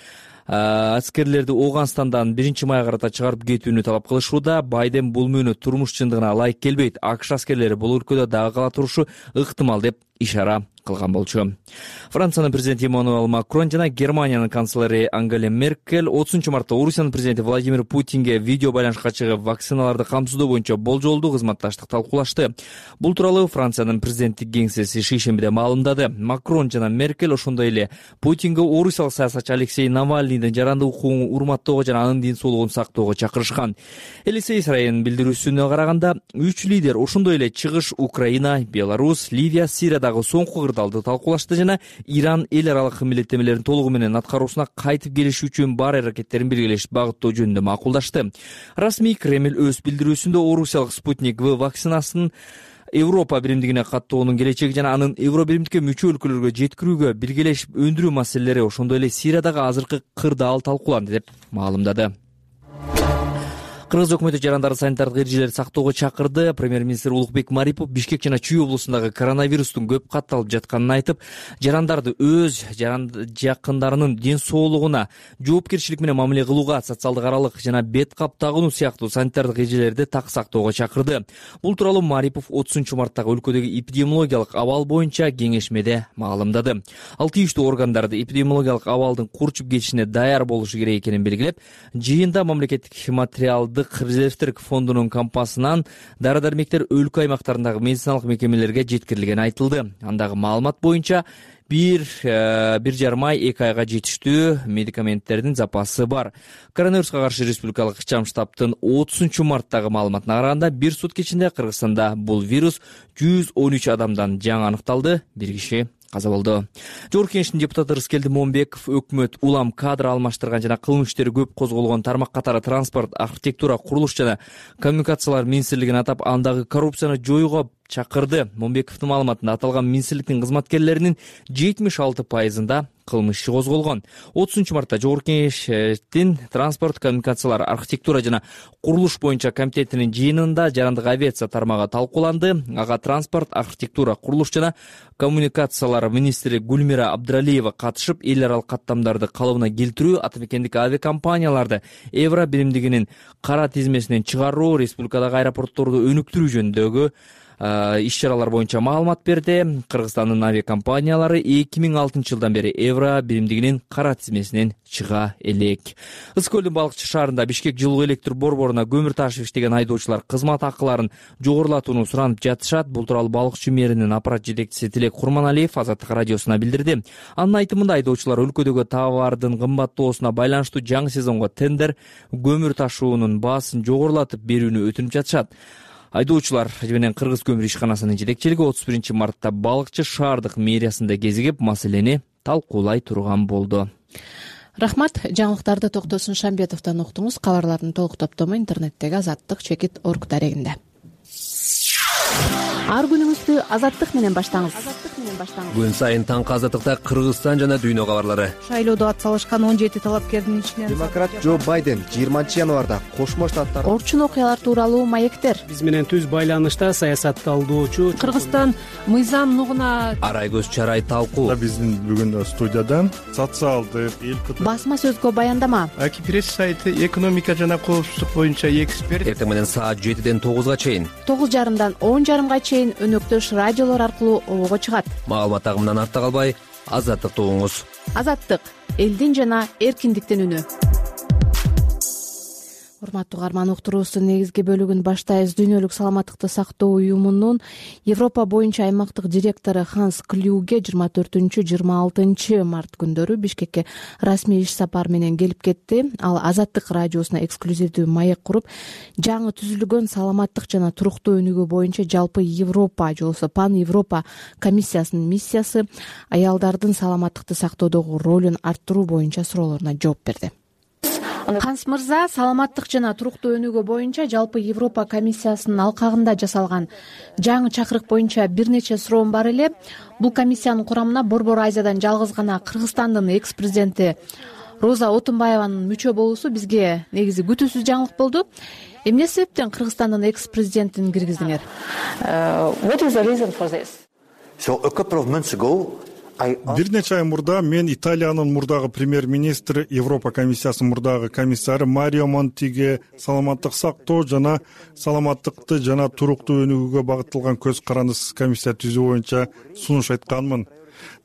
аскерлерди Ооганстандан 1-мая карата чыгарып кетүүнү талап кылышууда. Байден бул мөөнөт турмуш чындыгына ылайык келбейт. АКШ аскерлери бул өлкөдө дагы кала турушу ыктымал деп ишара кылган болчу. Франциянын президенти Эммануэл Макрон жана Германиянын канцлери Ангела Меркель 30-мартта Орусиянын президенти Владимир Путинге видео байланышка чыгып вакциналарды камсыздоо боюнча болжолдуу кызматташтык талкуулашты. Бул тууралуу Франциянын президенттик кеңсеси шейшембиде маалымдады. Макрон жана Меркель ошондой эле Путинге орусиялык саясатчы Алексей Навальныйдын жарандык укугун урматтоого жана анын ден соолугун сактоого чакырышкан. Елисей Сарайынын билдирүүсүнө караганда 3 лидер ошондой эле чыгыш Украина, Беларусь, Ливия, Сириядагы соңку кырдаалды талкуулашты жана Иран эл аралык милдеттемелерин толугу менен аткаруусуна кайтып келиш үчүн бар аракеттерин биргелешип багыттоо жөнүндө макулдашты. Расмий Кремль өз билдирүүсүндө орусиялык Спутник В вакцинасын Европа биримдигине каттоонун келечеги жана анын Евро биримдикке мүчө өлкөлөргө жеткирүүгө биргелешип өндүрүү маселелери ошондой эле Сириядагы азыркы кырдаал талкууланды деп маалымдады. Кыргыз өкмөтү жарандарды санитардык эрежелерди сактоого чакырды. Премьер-министр Улукбек Марипов Бишкек жана Чүй облусундагы коронавирустун көп катталып жатканын айтып, жарандарды өз жакындарынын ден соолугуна жоопкерчилик менен мамиле кылууга, социалдык аралык жана бет кап тагынуу сыяктуу санитардык эрежелерди так сактоого чакырды. Бул тууралуу Марипов 30-марттагы өлкөдөгү эпидемиологиялык абал боюнча кеңешмеде маалымдады. Ал тийиштүү органдарды эпидемиологиялык абалдын курчуп кетишине даяр болушу керек экенин белгилеп, жыйында мамлекеттик материалдык резервтер фондунун кампасынан дары-дармектер өлкө аймактарындагы медициналык мекемелерге жеткирилгени айтылды. Андагы маалымат боюнча бир жарым ай 2 айга жетиштүү медикаменттердин запасы бар. Коронавируска каршы республикалык ыкчам штабтын 30 марттагы маалыматына караганда, бир сутка ичинде Кыргызстанда бул вирус 113 адамдан жаңы аныкталды, бир киши каза болду. Жогорку Кеңештин депутаты Рыскелди Момбеков өкмөт улам кадр алмаштырган жана кылмыш иштери көп козголгон тармак катары транспорт, архитектура, курулуш жана коммуникациялар министрлигин атап, андагы коррупцияны жоюуга чакырды. Момбековдун маалыматында аталган министрликтин кызматкерлеринин 76%-ында кылмыш иши козголгон. 30 мартта Жогорку Кеңештин транспорт, коммуникациялар, архитектура жана курулуш боюнча комитетинин жыйынында жарандык авиация тармагы талкууланды. Ага транспорт, архитектура, курулуш жана коммуникациялар министри Гүлмира Абдралиева катышып, эл аралык каттамдарды калыбына келтирүү, атамекендик авиакомпанияларды евро биримдигинин кара тизмесинен чыгаруу, республикадагы аэропортторду өнүктүрүү жөнүндөгү иш-чаралар боюнча маалымат берди. Кыргызстандын авиакомпаниялары 2006 жылдан бери евро биримдигинин кара тизмесинен чыга элек. Ысык көлдүн Балыкчы шаарында Бишкек жылуу электр борборуна көмүр ташып иштеген айдоочулар кызмат акыларын жогорулатууну суранып жатышат. Бул тууралуу Балыкчы мэринин аппарат жетекчиси Тилек Курманалиев Азаттык радиосуна билдирди. Анын айтымында, айдоочулар өлкөдөгү товардын кымбаттоосуна байланыштуу жаңы сезонго тендер көмүр ташуунун баасын жогорулатып берүүнү өтүнүп жатышат. Айдоочулар менен Кыргыз көмүр ишканасынын жетекчилиги 31 мартта Балыкчы шаардык мэриясында кезигип, маселени талкуулай турган болду. Рахмат. Жаңылыктарды Токтосун Шамбетовдон уктуңуз. Кабарлардын толук топтому интернеттеги azattik.org дарегинде. Ар күнүңүздү Азаттык менен баштаңыз. Күн сайын таңкы Азаттыкта Кыргызстан жана дүйнө кабарлары. Шайлоодо атсалышкан 17 талапкердин ичинен демократ Джо Байден 20 январда Кошмо Штаттар орчун окуялар тууралуу маектер. Биз менен түз байланышта саясатталдоочу Кыргызстан мыйзам нугуна арай көз чарай талкуу. Биздин бүгүн студиядан социалдык басма сөзгө баяндама. Аки пресс сайты экономика жана коопсуздук боюнча эксперт. Эртең менен саат 7ден 9га чейин, 9:30дан 10:30га чейин өнөктөш радиолор аркылуу обого чыгат. Маалымат агымынан артта калбай, Азаттыкты угуңуз. Азаттык — элдин жана эркиндиктин үнү. Урматтуу угарман, уктуруубуздун негизги бөлүгүн баштайбыз. Дүйнөлүк саламаттыкты сактоо уюмунун Европа боюнча аймактык директору Ханс Клюге 24-26 март күндөрү Бишкекке расмий иш сапар менен келип кетти. Ал Азаттык радиосуна эксклюзивдүү маек куруп, жаңы түзүлгөн саламаттык жана туруктуу өнүгүү боюнча жалпы Европа же болбосо Пан Европа комиссиясынын миссиясы, аялдардын саламаттыкты сактоодогу ролун арттыруу боюнча суроолоруна жооп берди. Ханс мырза, саламаттык жана туруктуу өнүгүү боюнча жалпы Европа комиссиясынын алкагында жасалган жаңы чакырык боюнча бир нече суроом бар эле. Бул комиссиянын курамына Борбор Азиядан жалгыз гана Кыргызстандын экс-президенти Роза Отунбаеванын мүчө болуусу бизге негизи күтүүсүз жаңылык болду. Эмне себептен Кыргызстандын экс-президентин киргиздиңер? What is the reason for this? So a couple of months ago Бир нече ай мурда мен Италиянын мурдагы премьер-министри, Европа комиссиясынын мурдагы комиссары Марио Монтиге саламаттык сактоо жана саламаттыкты жана туруктуу өнүгүүгө багытталган көз карандысыз комиссия түзүү боюнча сунуш айтканмын.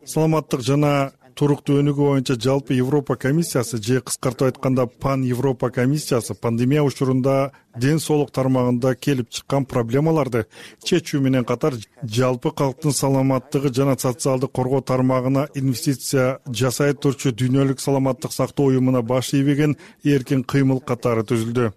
Саламаттык жана туруктуу өнүгүү боюнча жалпы Европа комиссиясы же кыскартып айтканда Пан Европа комиссиясы пандемия учурунда ден соолук тармагында келип чыккан проблемаларды чечүү менен катар жалпы калктын саламаттыгы жана социалдык коргоо тармагына инвестиция жасай турчу дүйнөлүк саламаттык сактоо уюмуна баш ийбеген эркин кыймыл катары түзүлдү.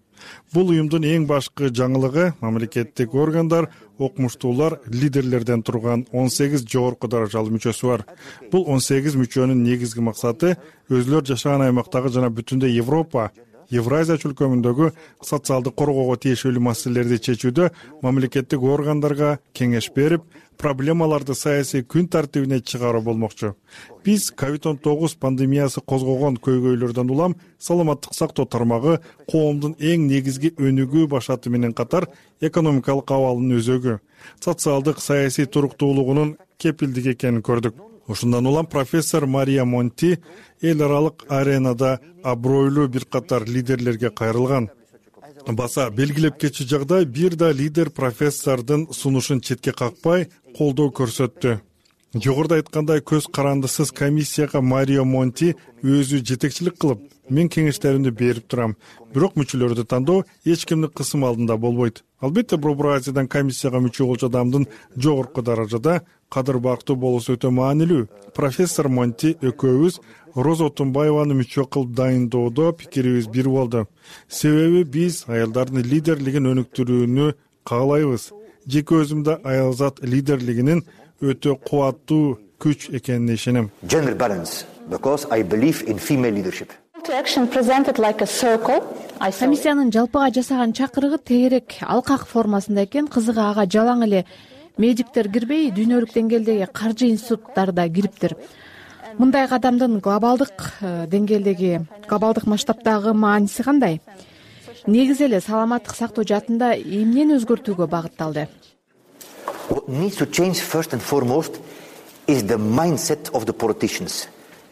Бул уюмдун эң башкы жаңылыгы мамлекеттик органдар, окумуштуулар, лидерлерден турган 18 жогорку даражалуу мүчөсү бар. Бул 18 мүчөнүн негизги максаты өзүлөр жашаган аймактагы жана бүтүндөй Европа, Евразия чөлкөмүндөгү социалдык коргоого тиешелүү маселелерди чечүүдө мамлекеттик органдарга кеңеш берип, проблемаларды саясий күн тартибине чыгаруу болмокчу. Биз COVID-19 пандемиясы козгогон көйгөйлөрдөн улам саламаттык сактоо тармагы коомдун эң негизги өнүгүү башаты менен катар экономикалык абалынын өзөгү, социалдык саясий туруктуулугунун кепилдиги экенин көрдүк. Ушундан улам профессор Мария Монти эл аралык аренада абройлуу бир катар лидерлерге кайрылган. Баса белгилеп кетчү жагдай бир да лидер профессордун сунушун четке какпай колдоо көрсөттү. Жогоруда айткандай көз карандысыз комиссияга Марио Монти өзү жетекчилик кылып, мен кеңештеримди берип турам. Бирок мүчөлөрдү тандоо эч кимдин кысымы алдында болбойт. Албетте, Борбор Азиядан комиссияга мүчө болчу адамдын жогорку даражада кадыр бактуу болуусу өтө маанилүү. Профессор Монти экөөбүз Роза Отунбаеваны мүчө кылып дайындоодо пикирибиз бир болду. Себеби биз аялдардын лидерлигин өнүктүрүүнү каалайбыз. Жеке өзүмдө аялзат лидерлигинин өтө кубаттуу күч экенине ишенем. Gender balance, because I believe in female leadership. Комиссиянын жалпыга жасаган чакырыгы тегерек алкак формасында экен. Кызыгы ага жалаң эле медиктер кирбей, дүйнөлүк деңгээлдеги каржы институттары да кириптир. Мындай кадамдын глобалдык деңгээлдеги, глобалдык масштабтагы мааниси кандай? Негизи эле саламаттык сактоо жаатында эмнени өзгөртүүгө багытталды? What needs to change first and foremost is the mindset of the politicians.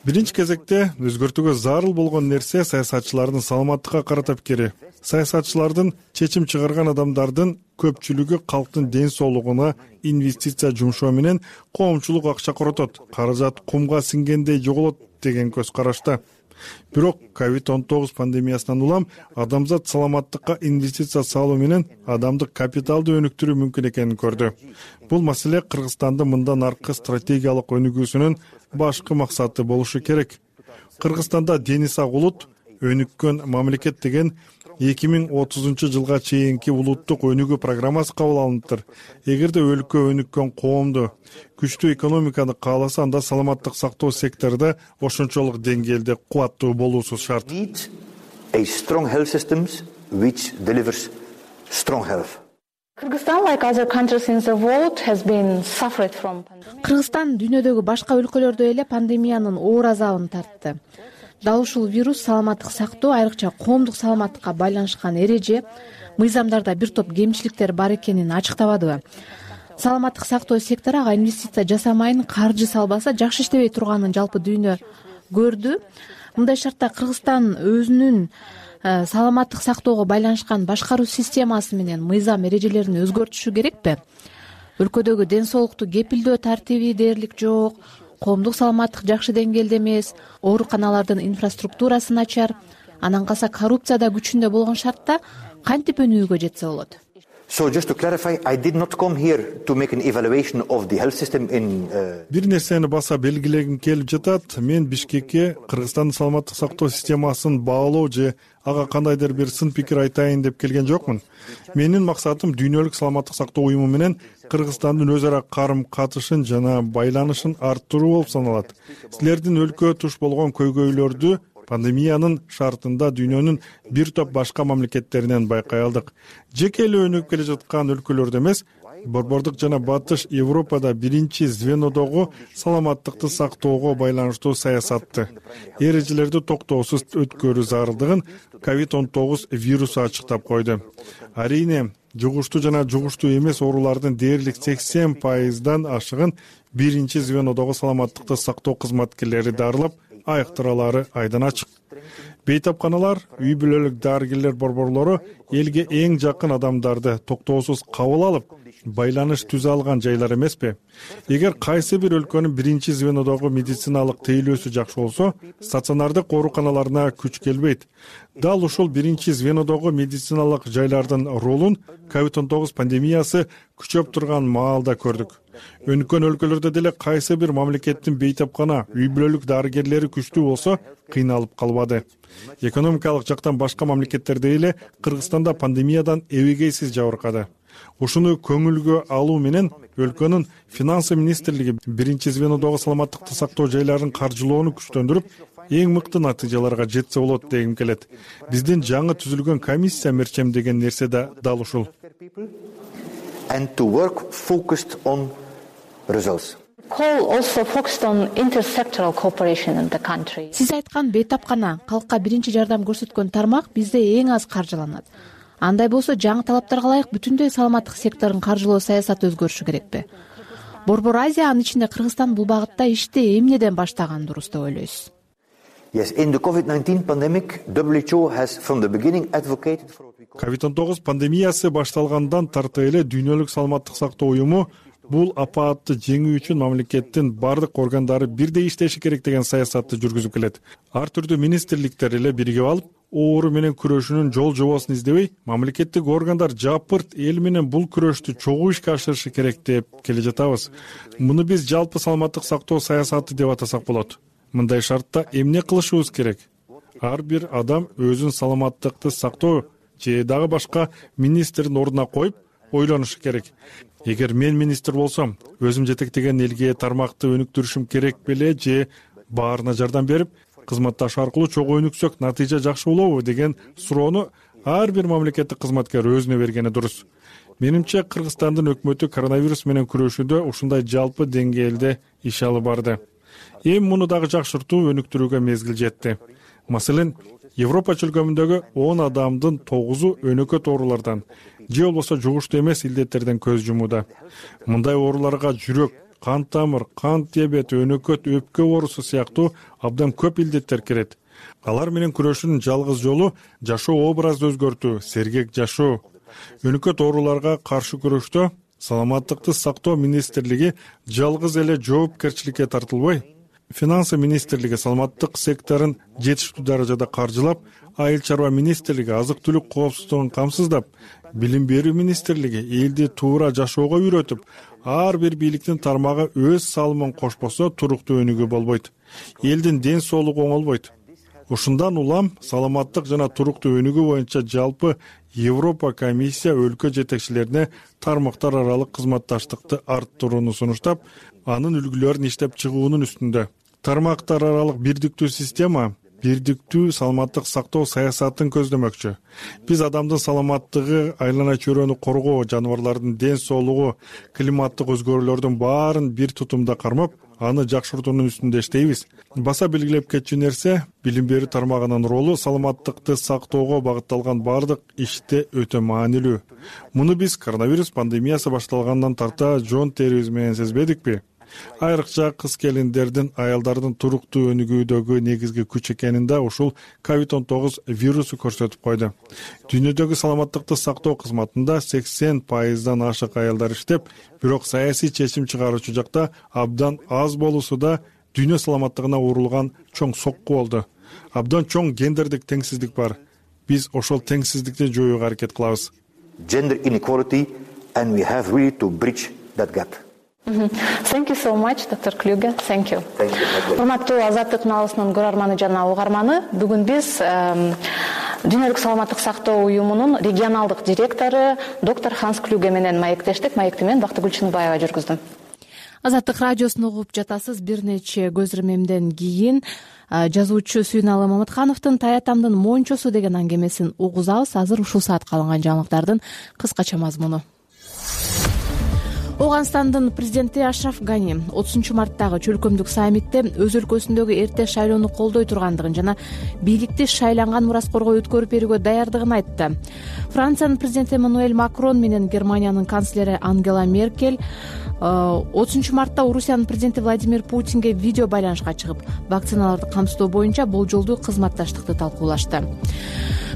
Биринчи кезекте өзгөртүүгө зарыл болгон нерсе саясатчылардын саламаттыкка карата пикири. Саясатчылардын чечим чыгарган адамдардын көпчүлүгү калктын ден соолугуна инвестиция жумшоо менен коомчулук акча коротот, каражат кумга сиңгендей жоголот деген көз карашта. Бирок COVID-19 пандемиясынан улам адамзат саламаттыкка инвестиция салуу менен адамдык капиталды өнүктүрүү мүмкүн экенин көрдү. Бул маселе Кыргызстандын мындан аркы стратегиялык өнүгүүсүнүн башкы максаты болушу керек. Кыргызстанда дени сак улут, өнүккөн мамлекет деген 2030 жылга чейинки улуттук өнүгүү программасы кабыл алыныптыр. Эгерде өлкө өнүккөн коомду, күчтүү экономиканы кааласа, анда саламаттык сактоо секторунда ошончолук деңгээлде кубаттуу болуусу шарт. A strong health systems which delivers strong health. Кыргызстан дүйнөдөгү башка өлкөлөрдөй эле пандемиянын оор азабын тартты. Дал ушул вирус саламаттык сактоо, айрыкча коомдук саламаттыкка байланышкан эреже, мыйзамдарда бир топ кемчиликтер бар экенин ачыктабадыбы? Саламаттык сактоо сектору ага инвестиция жасамайын, каржы салбаса жакшы иштебей турганын жалпы дүйнө көрдү. Мындай шартта Кыргызстан өзүнүн саламаттык сактоого байланышкан башкаруу системасы менен мыйзам эрежелерин өзгөртүшү керекпи? Өлкөдөгү ден соолукту кепилдөө тартиби дээрлик жок, коомдук саламаттык жакшы деңгээлде эмес, ооруканалардын инфраструктурасы начар, анан калса коррупция да күчүндө болгон шартта кантип өнүгүүгө жетсе болот? So just to clarify, I did not come here to make an evaluation of the health system in Бир нерсени баса белгилегим келип жатат. Мен Бишкекке Кыргызстандын саламаттык сактоо системасын баалоо же ага кандайдыр бир сын пикир айтайын деп келген жокмун. Менин максатым дүйнөлүк саламаттык сактоо уюму менен Кыргызстандын өз ара карым-катышын жана байланышын арттыруу болуп саналат. Силердин өлкө туш болгон көйгөйлөрдү пандемиянын шартында дүйнөнүн бир топ башка мамлекеттеринен байкай алдык. Жеке эле өнүгүп келе жаткан өлкөлөрдө эмес, борбордук жана батыш Европада биринчи звенодогу саламаттыкты сактоого байланыштуу саясатты, эрежелерди токтоосуз өткөрүү зарылдыгын COVID-19 вирусу ачыктап койду. Арийне, жугуштуу жана жугуштуу эмес оорулардын дээрлик 80%дан ашыгын биринчи звенодогу саламаттыкты сактоо кызматкерлери дарылап, айыктыралары айдан ачык. Бейтапканалар, үй бүлөлүк дарыгерлер борборлору элге эң жакын адамдарды токтоосуз кабыл алып, байланыш түзө алган жайлар эмеспи? Эгер кайсы бир өлкөнүн биринчи звенодогу медициналык тейлөөсү жакшы болсо, стационардык ооруканаларына күч келбейт. Дал ушул биринчи звенодогу медициналык жайлардын ролун COVID-19 пандемиясы күчөп турган маалда көрдүк. Өнүккөн өлкөлөрдө деле кайсы бир мамлекеттин бейтапкана, үй бүлөлүк дарыгерлери күчтүү болсо, кыйналып калбады. Экономикалык жактан башка мамлекеттердей эле Кыргызстанда пандемиядан эбегейсиз жабыркады. Ушуну көңүлгө алуу менен өлкөнүн финансы министрлиги биринчи звенодогу саламаттыкты сактоо жайларын каржылоону күчтөндүрүп, эң мыкты натыйжаларга жетсе болот дегим келет. Биздин жаңы түзүлгөн комиссия мерчемдеген нерсе да дал ушул. And to work focused on results. Сиз айткан бейтапкана, калкка биринчи жардам көрсөткөн тармак бизде эң аз каржыланат. Андай болсо жаңы талаптарга ылайык бүтүндөй саламаттык секторун каржылоо саясаты өзгөрүшү керекпи? Борбор Азия, анын ичинде Кыргызстан бул багытта ишти эмнеден баштаган дурус деп ойлойсуз? Yes, in the COVID-19 pandemic, WHO has from the beginning advocated for COVID-19 пандемиясы башталгандан тарта эле дүйнөлүк саламаттык сактоо уюму бул апаатты жеңүү үчүн мамлекеттин бардык органдары бирдей иштеши керек деген саясатты жүргүзүп келет. Ар түрдүү министрликтер эле биригип алып, оору менен күрөшүүнүн жол жобосун издебей, мамлекеттик органдар жапырт эл менен бул күрөштү чогуу ишке ашырышы керек деп келе жатабыз. Муну биз жалпы саламаттык сактоо саясаты деп атасак болот. Мындай шартта эмне кылышыбыз керек? Ар бир адам өзүн саламаттыкты сактоо же дагы башка министрдин ордуна коюп ойлонушу керек. Эгер мен министр болсом, өзүм жетектеген элге тармакты өнүктүрүшүм керек беле же баарына жардам берип, кызматташ аркылуу чогуу өнүксөк натыйжа жакшы болобу деген суроону ар бир мамлекеттик кызматкер өзүнө бергени дурус. Менимче, Кыргызстандын өкмөтү коронавирус менен күрөшүүдө ушундай жалпы деңгээлде иш алып барды. Эми муну дагы жакшыртуу, өнүктүрүүгө мезгил жетти. Маселен, Европа чөлкөмүндөгү 10 адамдын 9-у өнөкөт оорулардан же болбосо жугуштуу эмес илдеттерден көз жумууда. Мындай ооруларга жүрөк, кан тамыр, кант диабети, өнөкөт, өпкө оорусу сыяктуу абдан көп илдеттер кирет. Алар менен күрөшүүнүн жалгыз жолу жашоо образды өзгөртүү, сергек жашоо. Өнөкөт ооруларга каршы күрөштө саламаттыкты сактоо министрлиги жалгыз эле жоопкерчиликке тартылбай, Финансы министрлиги саламаттык секторун жетиштүү даражада каржылап, айыл чарба министрлиги азык-түлүк коопсуздугун камсыздап, билим берүү министрлиги элди туура жашоого үйрөтүп, ар бир бийликтин тармагы өз салымын кошпосо туруктуу өнүгүү болбойт. Элдин ден соолугу оңолбойт. Ушундан улам саламаттык жана туруктуу өнүгүү боюнча жалпы Европа комиссия өлкө жетекчилерине тармактар аралык кызматташтыкты арттырууну сунуштап, анын үлгүлөрүн иштеп чыгуунун үстүндө. Тармактар аралык бирдиктүү система бирдиктүү саламаттык сактоо саясатын көздөмөкчү. Биз адамдын саламаттыгы, айлана чөйрөнү коргоо, жаныбарлардын ден соолугу, климаттык өзгөрүүлөрдүн баарын бир тутумда кармап, аны жакшыртуунун үстүндө иштейбиз. Баса белгилеп кетчү нерсе, билим берүү тармагынын ролу саламаттыкты сактоого багытталган бардык иште өтө маанилүү. Муну биз коронавирус пандемиясы башталгандан тарта жон терибиз менен сезбедикпи? Айрыкча кыз келиндердин, аялдардын туруктуу өнүгүүдөгү негизги күч экенин да ушул COVID-19 вирусу көрсөтүп койду. Дүйнөдөгү саламаттыкты сактоо кызматында 80%дан ашык аялдар иштеп, бирок саясий чечим чыгаруучу жакта абдан аз болуусу да дүйнө саламаттыгына урулган чоң сокку болду. Абдан чоң гендердик теңсиздик бар. Биз ошол теңсиздикти жоюуга аракет кылабыз. Gender inequality, and we have really to bridge that gap. Thank you so much, Dr. Kluge. Thank you. Урматтуу Азаттык каналынын көрөрманы жана угарманы, бүгүн биз Дүйнөлүк саламаттык сактоо уюмунун регионалдык директору доктор Ханс Клюге менен маектештик. Маекти мен Бактыгүл Чыныбаева жүргүздүм. Азаттык радиосун угуп жатасыз. Бир нече көз ирмемден кийин жазуучу Сүйүналы Мамыткановдун Таятамдын мончосу деген аңгемесин угузабыз. Азыр ушул саатка алынган жаңылыктардын кыскача мазмуну. Ооганстандын президенти Ашраф Гани 30-марттагы чөлкөмдүк саммитте өз өлкөсүндөгү эрте шайлоону колдой тургандыгын жана бийликти шайланган мураскорго өткөрүп берүүгө даярдыгын айтты. Франциянын президенти Эммануэль Макрон менен Германиянын канцлери Ангела Меркель 30-мартта Орусиянын президенти Владимир Путинге видео байланышка чыгып, вакциналарды камсыздоо боюнча болжолдуу кызматташтыкты талкуулашты.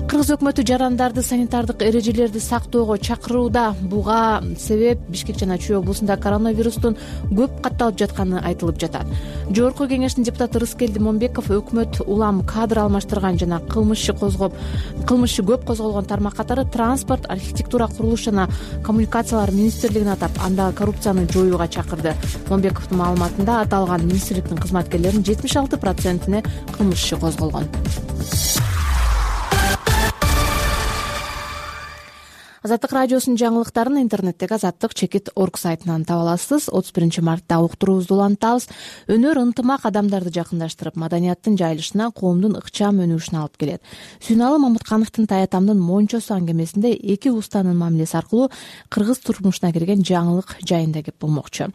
Кыргыз өкмөтү жарандарды санитардык эрежелерди сактоого чакырууда. Буга себеп Бишкек жана Чүй облусунда коронавирустун көп катталып жатканы айтылып жатат. Жогорку кеңештин депутаты Рыскелди Момбеков өкмөт улам кадр алмаштырган жана кылмышы көп козголгон тармак катары транспорт, архитектура, курулуш жана коммуникациялар министрлигин атап, анда коррупцияны жоюуга чакырды. Момбековдун маалыматында аталган министрликтин кызматкерлеринин 76%-не кылмышы козголгон. Азаттык радиосунун жаңылыктарын интернеттеги azattik.org сайтынан таба аласыз. 31-мартта уктуруубузду улантабыз. Өнөр ынтымак адамдарды жакындаштырып, маданияттын жайылышына, коомдун ыкчам өнүгүшүнө алып келет. Сүйүналы Мамыткановдун Таятамдын мончосу аңгемесинде эки устанын мамилеси аркылуу кыргыз турмушуна кирген жаңылык жайында кеп болмокчу.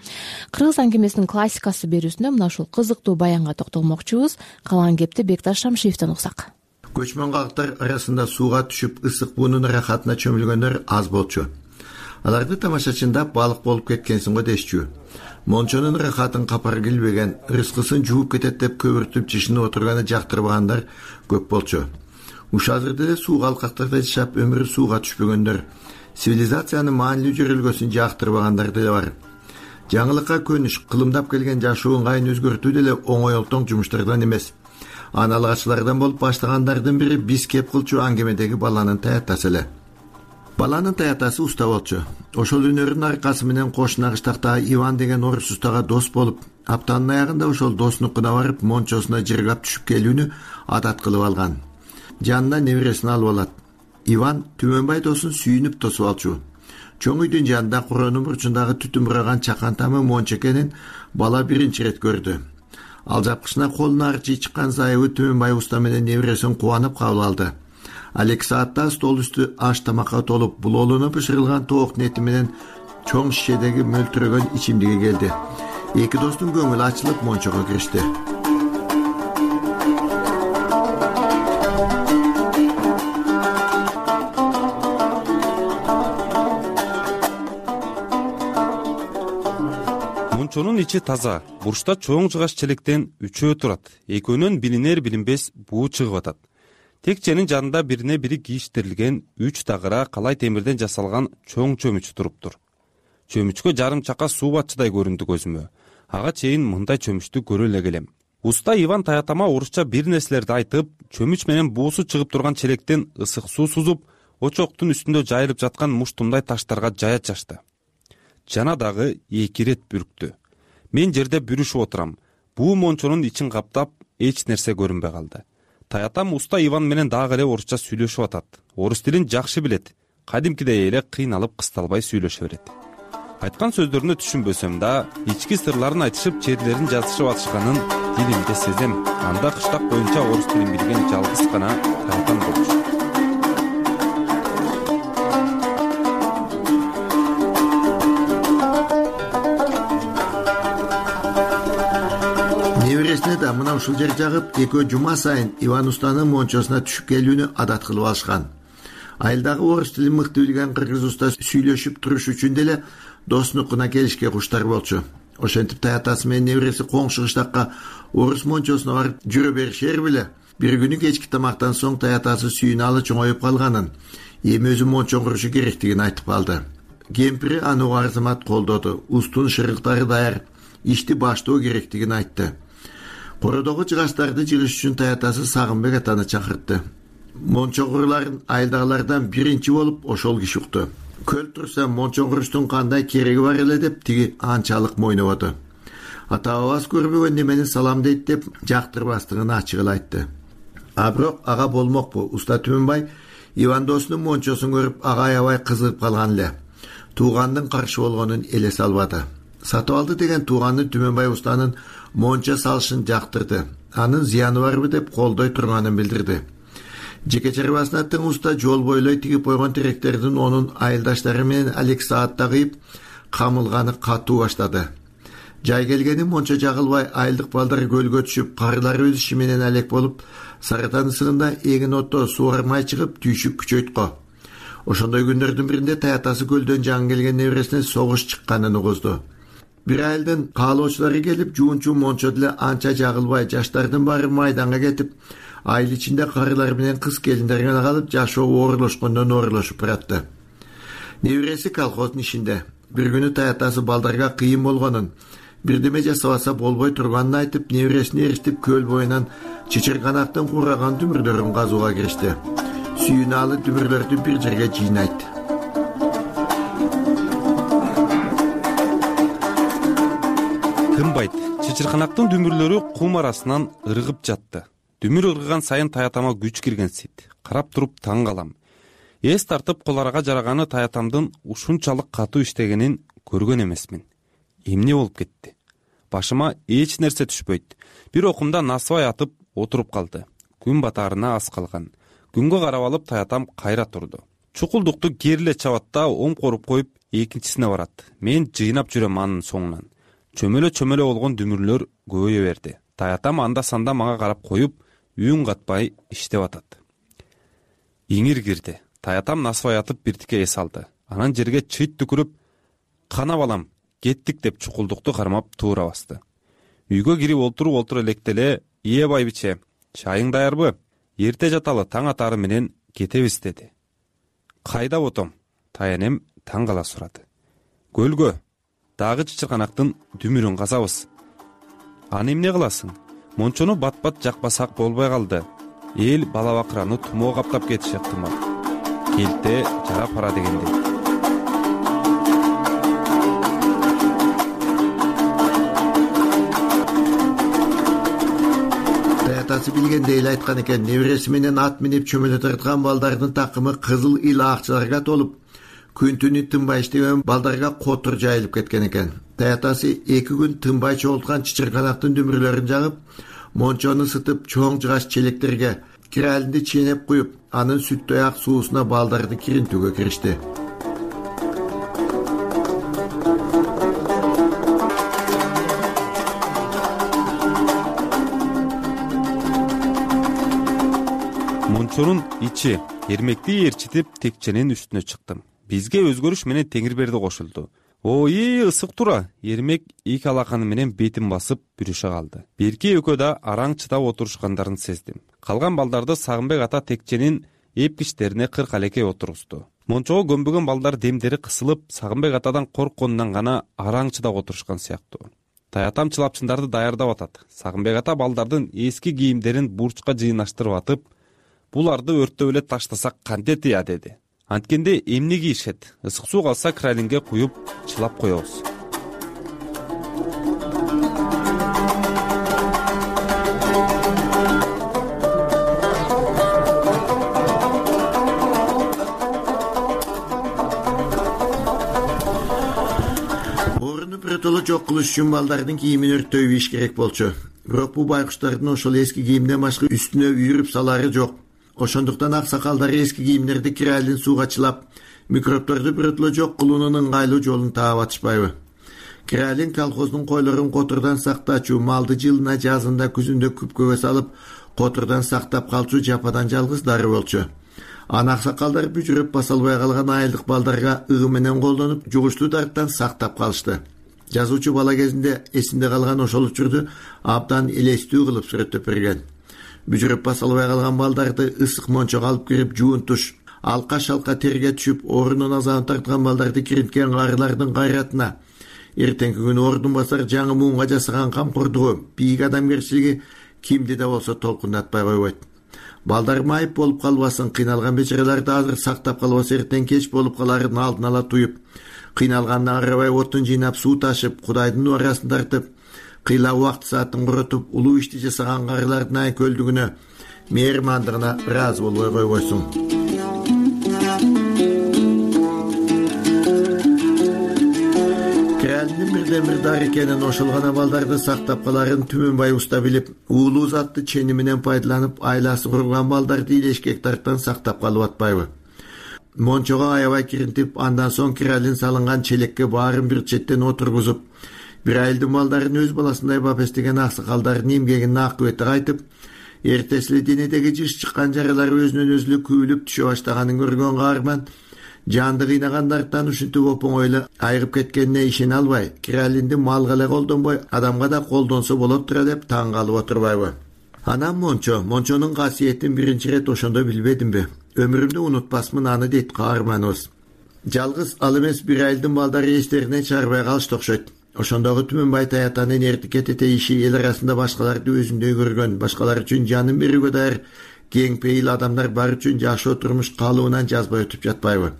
Кыргыз аңгемесинин классикасы берүүсүндө мына ушул кызыктуу баянга токтолмокчубуз. Калган кепти Бекташ Шамшиевден угсак. Көчмөн калктар арасында сууга түшүп ысык буунун рахатына чөмүлгөндөр аз болчу. Аларды тамашачында балык болуп кеткенсиң го дешчү. Мончонун рахатын капар килбеген, рыскысын жууп кетет деп көбүртүп жишинип отурганы жактырбагандар көп болчу. Уш азырда эле сууга алкактарда жашап өмүрү сууга түшпөгөндөр, цивилизациянын маанилүү жөрөлгөсүн жактырбагандар деле бар. жаңылыкка көнүш, кылымдап келген жашоо ыңгайын өзгөртүү деле оңой олтоң жумуштардан эмес. Аны алгачылардан болуп баштагандардын бири биз кеп кылчу аңгемедеги баланын таятасы эле. Баланын таятасы уста болчу. Ошол өнөрүнүн аркасы менен кошуна кыштактагы Иван деген орус устага дос болуп, аптанын аягында ошол доснукуна барып мончосуна жыргап түшүп келүүнү адат кылып алган. Жанына небересин алып алат. Иван Түмөнбай досун сүйүнүп тосуп алчу. Чоң үйдүн жанында куронун бурчундагы түтүн бураган чакан тамы мончо экенин бала биринчи ирет көрдү. Ал жапкычына колуна арчы чыккан зайыбы Түмөнбай уста менен небересин кубанып кабыл алды. Ал 2 саатта стол үстү аш тамакка толуп, булоолоно бышырылган тоок нети менен чоң шишедеги мөлтүрөгөн ичимдиги келди. Эки достун көңүлү ачылып мончого киришти. Мончонун ичи таза, бурчта чоң жыгач челектен үчөө турат. Экөөнөн билинер билинбес буу чыгып атат. Текченин жанында бирине бири кийиштирилген 3 тагыра калай темирден жасалган чоң чөмүч туруптур. Чөмүчкө жарым чака суу батчыдай көрүндү көзүмө. Ага чейин мындай чөмүчтү көрө эле келем. Уста Иван таятама орусча бир нерселерди айтып, чөмүч менен буусу чыгып турган челектен ысык суу сузуп, очоктун үстүндө жайылып жаткан муштумдай таштарга жая чачты. Жана дагы 2 ирет бүрктү. Мен жерде бүрүшүп отурам. Буу мончонун ичин каптап, эч нерсе көрүнбөй калды. Таятам уста Иван менен дагы эле орусча сүйлөшүп атат. Орус тилин жакшы билет. Кадимкидей эле кыйналып кысталбай сүйлөшө берет. Айткан сөздөрүнө түшүнбөсөм да, ички сырларын айтышып, черлерин жазышып атышканын дилимде сезем. Анда кыштак боюнча орус тилин билген жалгыз гана таятам болчу. Небересине да мына ушул жер жагып, экөө жума сайын Иван устанын мончосуна түшүп келүүнү адат кылып алышкан. Айылдагы орус тилин мыкты билген кыргыз уста сүйлөшүп туруш үчүн деле доснукуна келишке куштар болчу. Ошентип таятасы менен небереси коңшу кыштакка орус мончосуна барып жүрө беришер беле. Бир күнү кечки тамактан соң таятасы сүйүналы чоңоюп калганын, эми өзү мончо курушу керектигин айтып калды. Кемпири аны арзымат колдоду. Устун шырыктары даяр, ишти баштоо керектигин айтты. Кородогу жыгачтарды жыгыш үчүн таятасы Сагынбек атаны чакыртты. Мончо куруларын айылдагылардан биринчи болуп ошол киши укту. Көл турса мончо куруштун кандай кереги бар эле деп тиги анчалык мойнободу. Ата-бабасы көрбөгөн немени салам дейт деп жактырбастыгын ачык эле айтты. А бирок ага болмокпу. Уста Түмөнбай Иван досунун мончосун көрүп ага аябай кызыгып калган эле. Туугандын каршы болгонун эле салбады. Сатып алды деген тууганы Түмөнбай устанын мончо салышын жактырды. Анын зыяны барбы деп колдой турганын билдирди. Жеке чарбасына тың уста жол бойлой тигип койгон теректердин онун айылдаштары менен алек саатта кыйып, камылганы катуу баштады. Жай келгени мончо жагылбай, айылдык балдар көлгө түшүп, карылар өз иши менен алек болуп, Сарытан ысыгында эгин отто суармай чыгып, түйшүк күчөйткө. Ошондой күндөрдүн биринде таятасы көлдөн жаңы келген небересине согуш чыкканын угузду. Бир айылдын каалоочулары келип, жуунчу мончо деле анча жагылбай, жаштардын баары майданга кетип, айыл ичинде карылар менен кыз келиндер гана калып, жашоо оорулошкондон оорулошуп баратты. Небереси колхоздун ишинде. Бир күнү таятасы балдарга кыйын болгонун, бирдеме жасабаса болбой турганын айтып, небересине эриштип көл боюнан чычырканактын кураган дүмүрлөрүн казууга киришти. Сүйүналы дүмүрлөрдү бир жерге жыйнайт. Тынбайт. Чычырканактын дүмүрлөрү кум арасынан ыргып жатты. Дүмүр ыргыган сайын таятама күч киргенсийт. Карап туруп таң калам. Эс тартып коларга жараганы таятамдын ушунчалык катуу иштегенин көргөн эмесмин. Эмне болуп кетти? Башыма эч нерсе түшпөйт. Бир окумда насыбай атып отуруп калды. Күн батаарына аз калган. Күнгө карап алып таятам кайра турду. Чукулдукту кериле чабат да оң коруп коюп экинчисине барат. Мен жыйнап жүрөм анын соңунан. Чөмөлө болгон дүмүрлөр көбөйө берди. Таятам анда-санда мага карап коюп, үн катпай иштеп атат. Иңир кирди. Таятам насыбай атып биртике эс алды. Анан жерге чыйт түкүрүп, "Кана балам, кеттик" деп чукулдукту кармап туура басты. Үйгө кирип олтуруп электеле, "Ие байбиче, чайың даярбы? Эрте жаталы, таң атары менен кетебиз" деди. "Кайда отом?" Таянем таң кала сурады. "Көлгө. дагы чычырканактын дүмүрүн казабыз. Аны эмне кыласың? Мончону бат-бат жакпасак болбой калды. Эл бала бакыраны тумоо каптап кетиши ыктымал. Келте жара пара дегендей. Таятасы билгендей эле айткан экен, небереси менен ат минип чөмөлө тарткан балдардын такымы кызыл ил акчаларга толуп, күн түнү тынбай иштеген балдарга котур жайылып кеткен экен. Таятасы 2 күн тынбай чогулткан чычырканактын дүмүрлөрүн жагып, мончону ысытып, чоң жыгаш челектерге киралинди ченеп куюп, анын сүттөй ак суусуна балдарды киринтүүгө киришти. Мончонун ичи эрмекти ээрчитип текченин үстүнө чыктым. Бизге өзгөрүш менен Теңирберди кошулду. Ой, ысык тура. Эрмек 2 алаканы менен бетин басып бүрүшө калды. Берки экөө да араң чыдап отурушкандарын сездим. Калган балдарды Сагынбек ата текченин эпкичтерине 40 алеке отургузду. Мончого көмбөгөн балдар демдери кысылып, Сагынбек атадан коркконунан гана араң чыдап отурушкан сыяктуу. Таятам чылапчындарды даярдап атат. Сагынбек ата балдардын эски кийимдерин бурчка жыйнаштырып атып, буларды өрттөп эле таштасак кантет ыя деди. Анткенде эмне кийишет? Ысык суу калса кралинге куюп чылап коебуз. Орунду биротоло жок кылыш үчүн балдардын кийимин өрттөй ийиш керек болчу. Бирок бул байкуштардын ошол эски кийимден башка үстүнө үйүрүп салары жок. Ошондуктан аксакалдары эски кийимдерди киралин сууга чылап, микробторду биротоло жок кылуунун ыңгайлуу жолун таап атышпайбы? Киралин колхоздун койлорун котордон сактачу, малды жылына, жазында, күзүндө күпкөгө салып, котордон сактап калчу жападан жалгыз дары болчу. Аны аксакалдар бүжүрөп баса албай калган айылдык балдарга ыгы менен колдонуп, жугуштуу дарттан сактап калышты. Жазуучу бала кезинде эсинде калган ошол учурду абдан элестүү кылып сүрөттөп берген. Бүжүрөп баса албай калган балдарды ысык мончого алып кирип, жуунтуш, алка-шалка терге түшүп, орунун азабын тарткан балдарды киринткен карылардын кайратына, эртеңки күнү ордун басар жаңы муунга жасаган камкордугу, бийик адамгерчилиги кимди да болсо толкундатпай койбойт. Балдар майып болуп калбасын, кыйналган бечараларды азыр сактап калбаса эртең кеч болуп каларын алдын ала туюп, кыйналгандан арабай отун жыйнап суу ташып, Кудайдын уарасын тартып, кыйла убакыт саатын коротуп, улуу ишти жасаган карылардын айкөлдүгүнө, мээрмандыгына ыраазы болбой койбойсуң. Киралиндин бирден бир дары экенин, ошол гана балдарды сактап каларын Түмөнбай уста билип, уулуу затты чени менен пайдаланып, айласы курган балдарды илешкектардан сактап калып атпайбы? Мончого аябай киринтип, андан соң киралин салынган челекке баарын бир четтен отургузуп, бир айылдын балдарын өз баласындай бап эстеген аксакалдардын эмгегинин акыбети кайтып, эртеси денедеги жыш чыккан жаралар өзүнөн өзү күйүлүп түшө баштаганын көргөн каарман, жанды кыйнагандардан ушинтип оп-оңой эле айыгып кеткенине ишене албай, киралинди малга эле колдонбой, адамга да колдонсо болот тура деп таң калып отурбайбы? Анам мончонун касиетин биринчи ирет ошондо билбедимби? Өмүрүмдө унутпасмын аны дейт каарманыбыз. Жалгыз ал эмес, бир айылдын балдары эстеринен чыгарбай калышты окшойт. Ошондогу Түмөнбай Таятанын эртик кетете иши эл арасында башкаларды өзүндөй көргөн, башкалар үчүн жанын берүүгө даяр кең пейил адамдар бар үчүн жашоо турмуш калыбынан жазбай өтүп жатпайбы?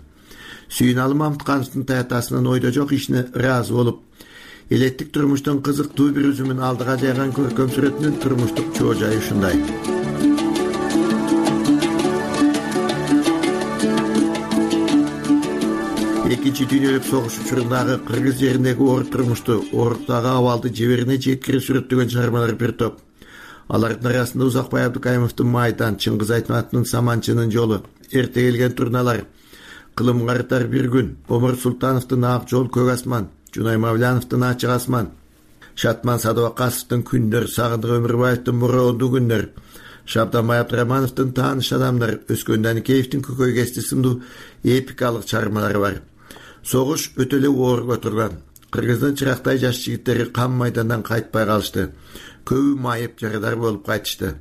Сүйүналы Мамыткановдун Таятасынын ойдо жок ишине ыраазы болуп, элеттик турмуштун кызыктуу бир үзүмүн алдыга жайган көркөм сүрөтүнүн турмуштук чоо жайы ушундай. Экинчи дүйнөлүк согуш учурундагы кыргыз жериндеги оор турмушту, ооруктагы абалды жеберине жеткирип сүрөттөгөн чыгармалар бир топ. Алардын арасында Узакбай Абдыкаимовдун Майдан, Чыңгыз Айтматовдун Саманчынын жолу, Эрте келген турналар, Кылым карытар бир күн, Омур Султановдун Ак жол көк асман, Жунай Мавляновдун Ачык асман, Шатман Садыбакасовдун Күндөр, Сагындык Өмүрбаевдин Муроондуу күндөр, Шабданбай Абдырамановдун Тааныш адамдар, Өскөн Даникеевдин Көкөй кести сындуу эпикалык чыгармалары бар. Согуш өтө эле оор турган. Кыргыздын чырактай жаш жигиттери кам майдандан кайтпай калышты. Көбү майып жарадар болуп кайтышты.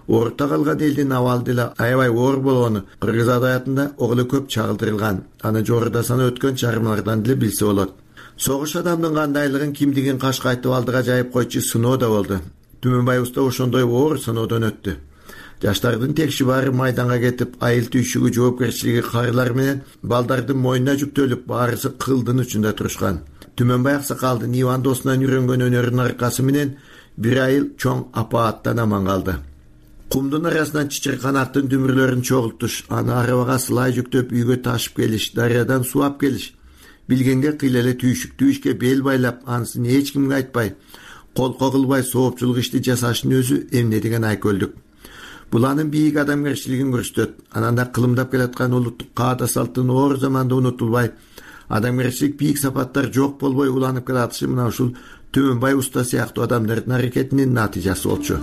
Орта калган элдин абалы деле аябай оор болгону кыргыз адабиятында оглу көп чагылдырылган. Аны жогоруда сана өткөн чыгармалардан деле билсе болот. Согуш адамдын кандайлыгын кимдигин кашка айтып алдыга жайып койчу сыноо да болду. Түмөнбай уста ошондой оор сыноодон өттү. Жаштардын текши баары майданга кетип, айыл түйшүгү жоопкерчилиги карылар менен балдардын мойнуна жүктөлүп, баарысы кылдын учунда турушкан. Түмөнбай аксакалдын Иван досунан үйрөнгөн өнөрүнүн аркасы менен бир айыл чоң апааттан аман калды. Кумдун арасынан чычыркан аттын дүмүрлөрүн чогултуш, аны арабага сылай жүктөп үйгө ташып келиш, дарыядан суу ап келиш. Билгенге кыйла эле түйшүктүү ишке бел байлап, анысын эч кимге айтпай, колко кылбай соопчулук ишти жасаштын өзү эмне деген айкөлдүк. Бул анын бийик адамгерчилигин көрсөтөт. Анан да кылымдап келаткан улуттук каада салттын оор заманда унутулбай, адамгерчилик бийик сапаттар жок болбой уланып келатышы мына ушул Түмөнбай уста сыяктуу адамдардын аракетинин натыйжасы болчу.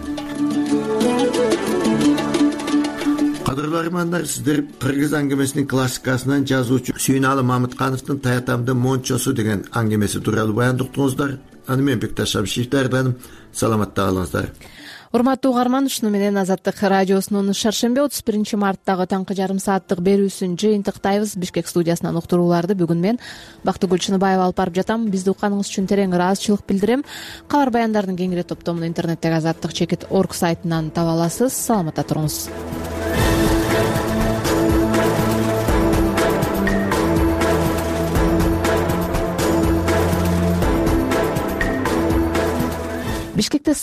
Кадырлуу армандар, сиздер кыргыз аңгемесинин классикасынан жазуучу Сүйүналы Мамыткановдун Таятамдын мончосу деген аңгемеси тууралуу баяндоктуңуздар. Аны мен Бекташ Абишев даярдадым. Саламатта калыңыздар. Урматтуу угарман, ушуну менен Азаттык радиосунун шаршемби 31 марттагы таңкы жарым сааттык берүүсүн жыйынтыктайбыз. Бишкек студиясынан уктурууларды бүгүн мен Бактыгүл Чыныбаева алып барып жатам. Бизди укканыңыз үчүн терең ыраазычылык билдирем. Кабар баяндардын кеңири топтомун интернеттеги azаттык.org сайтынан таба аласыз. Саламатта туруңуз. Бишкекте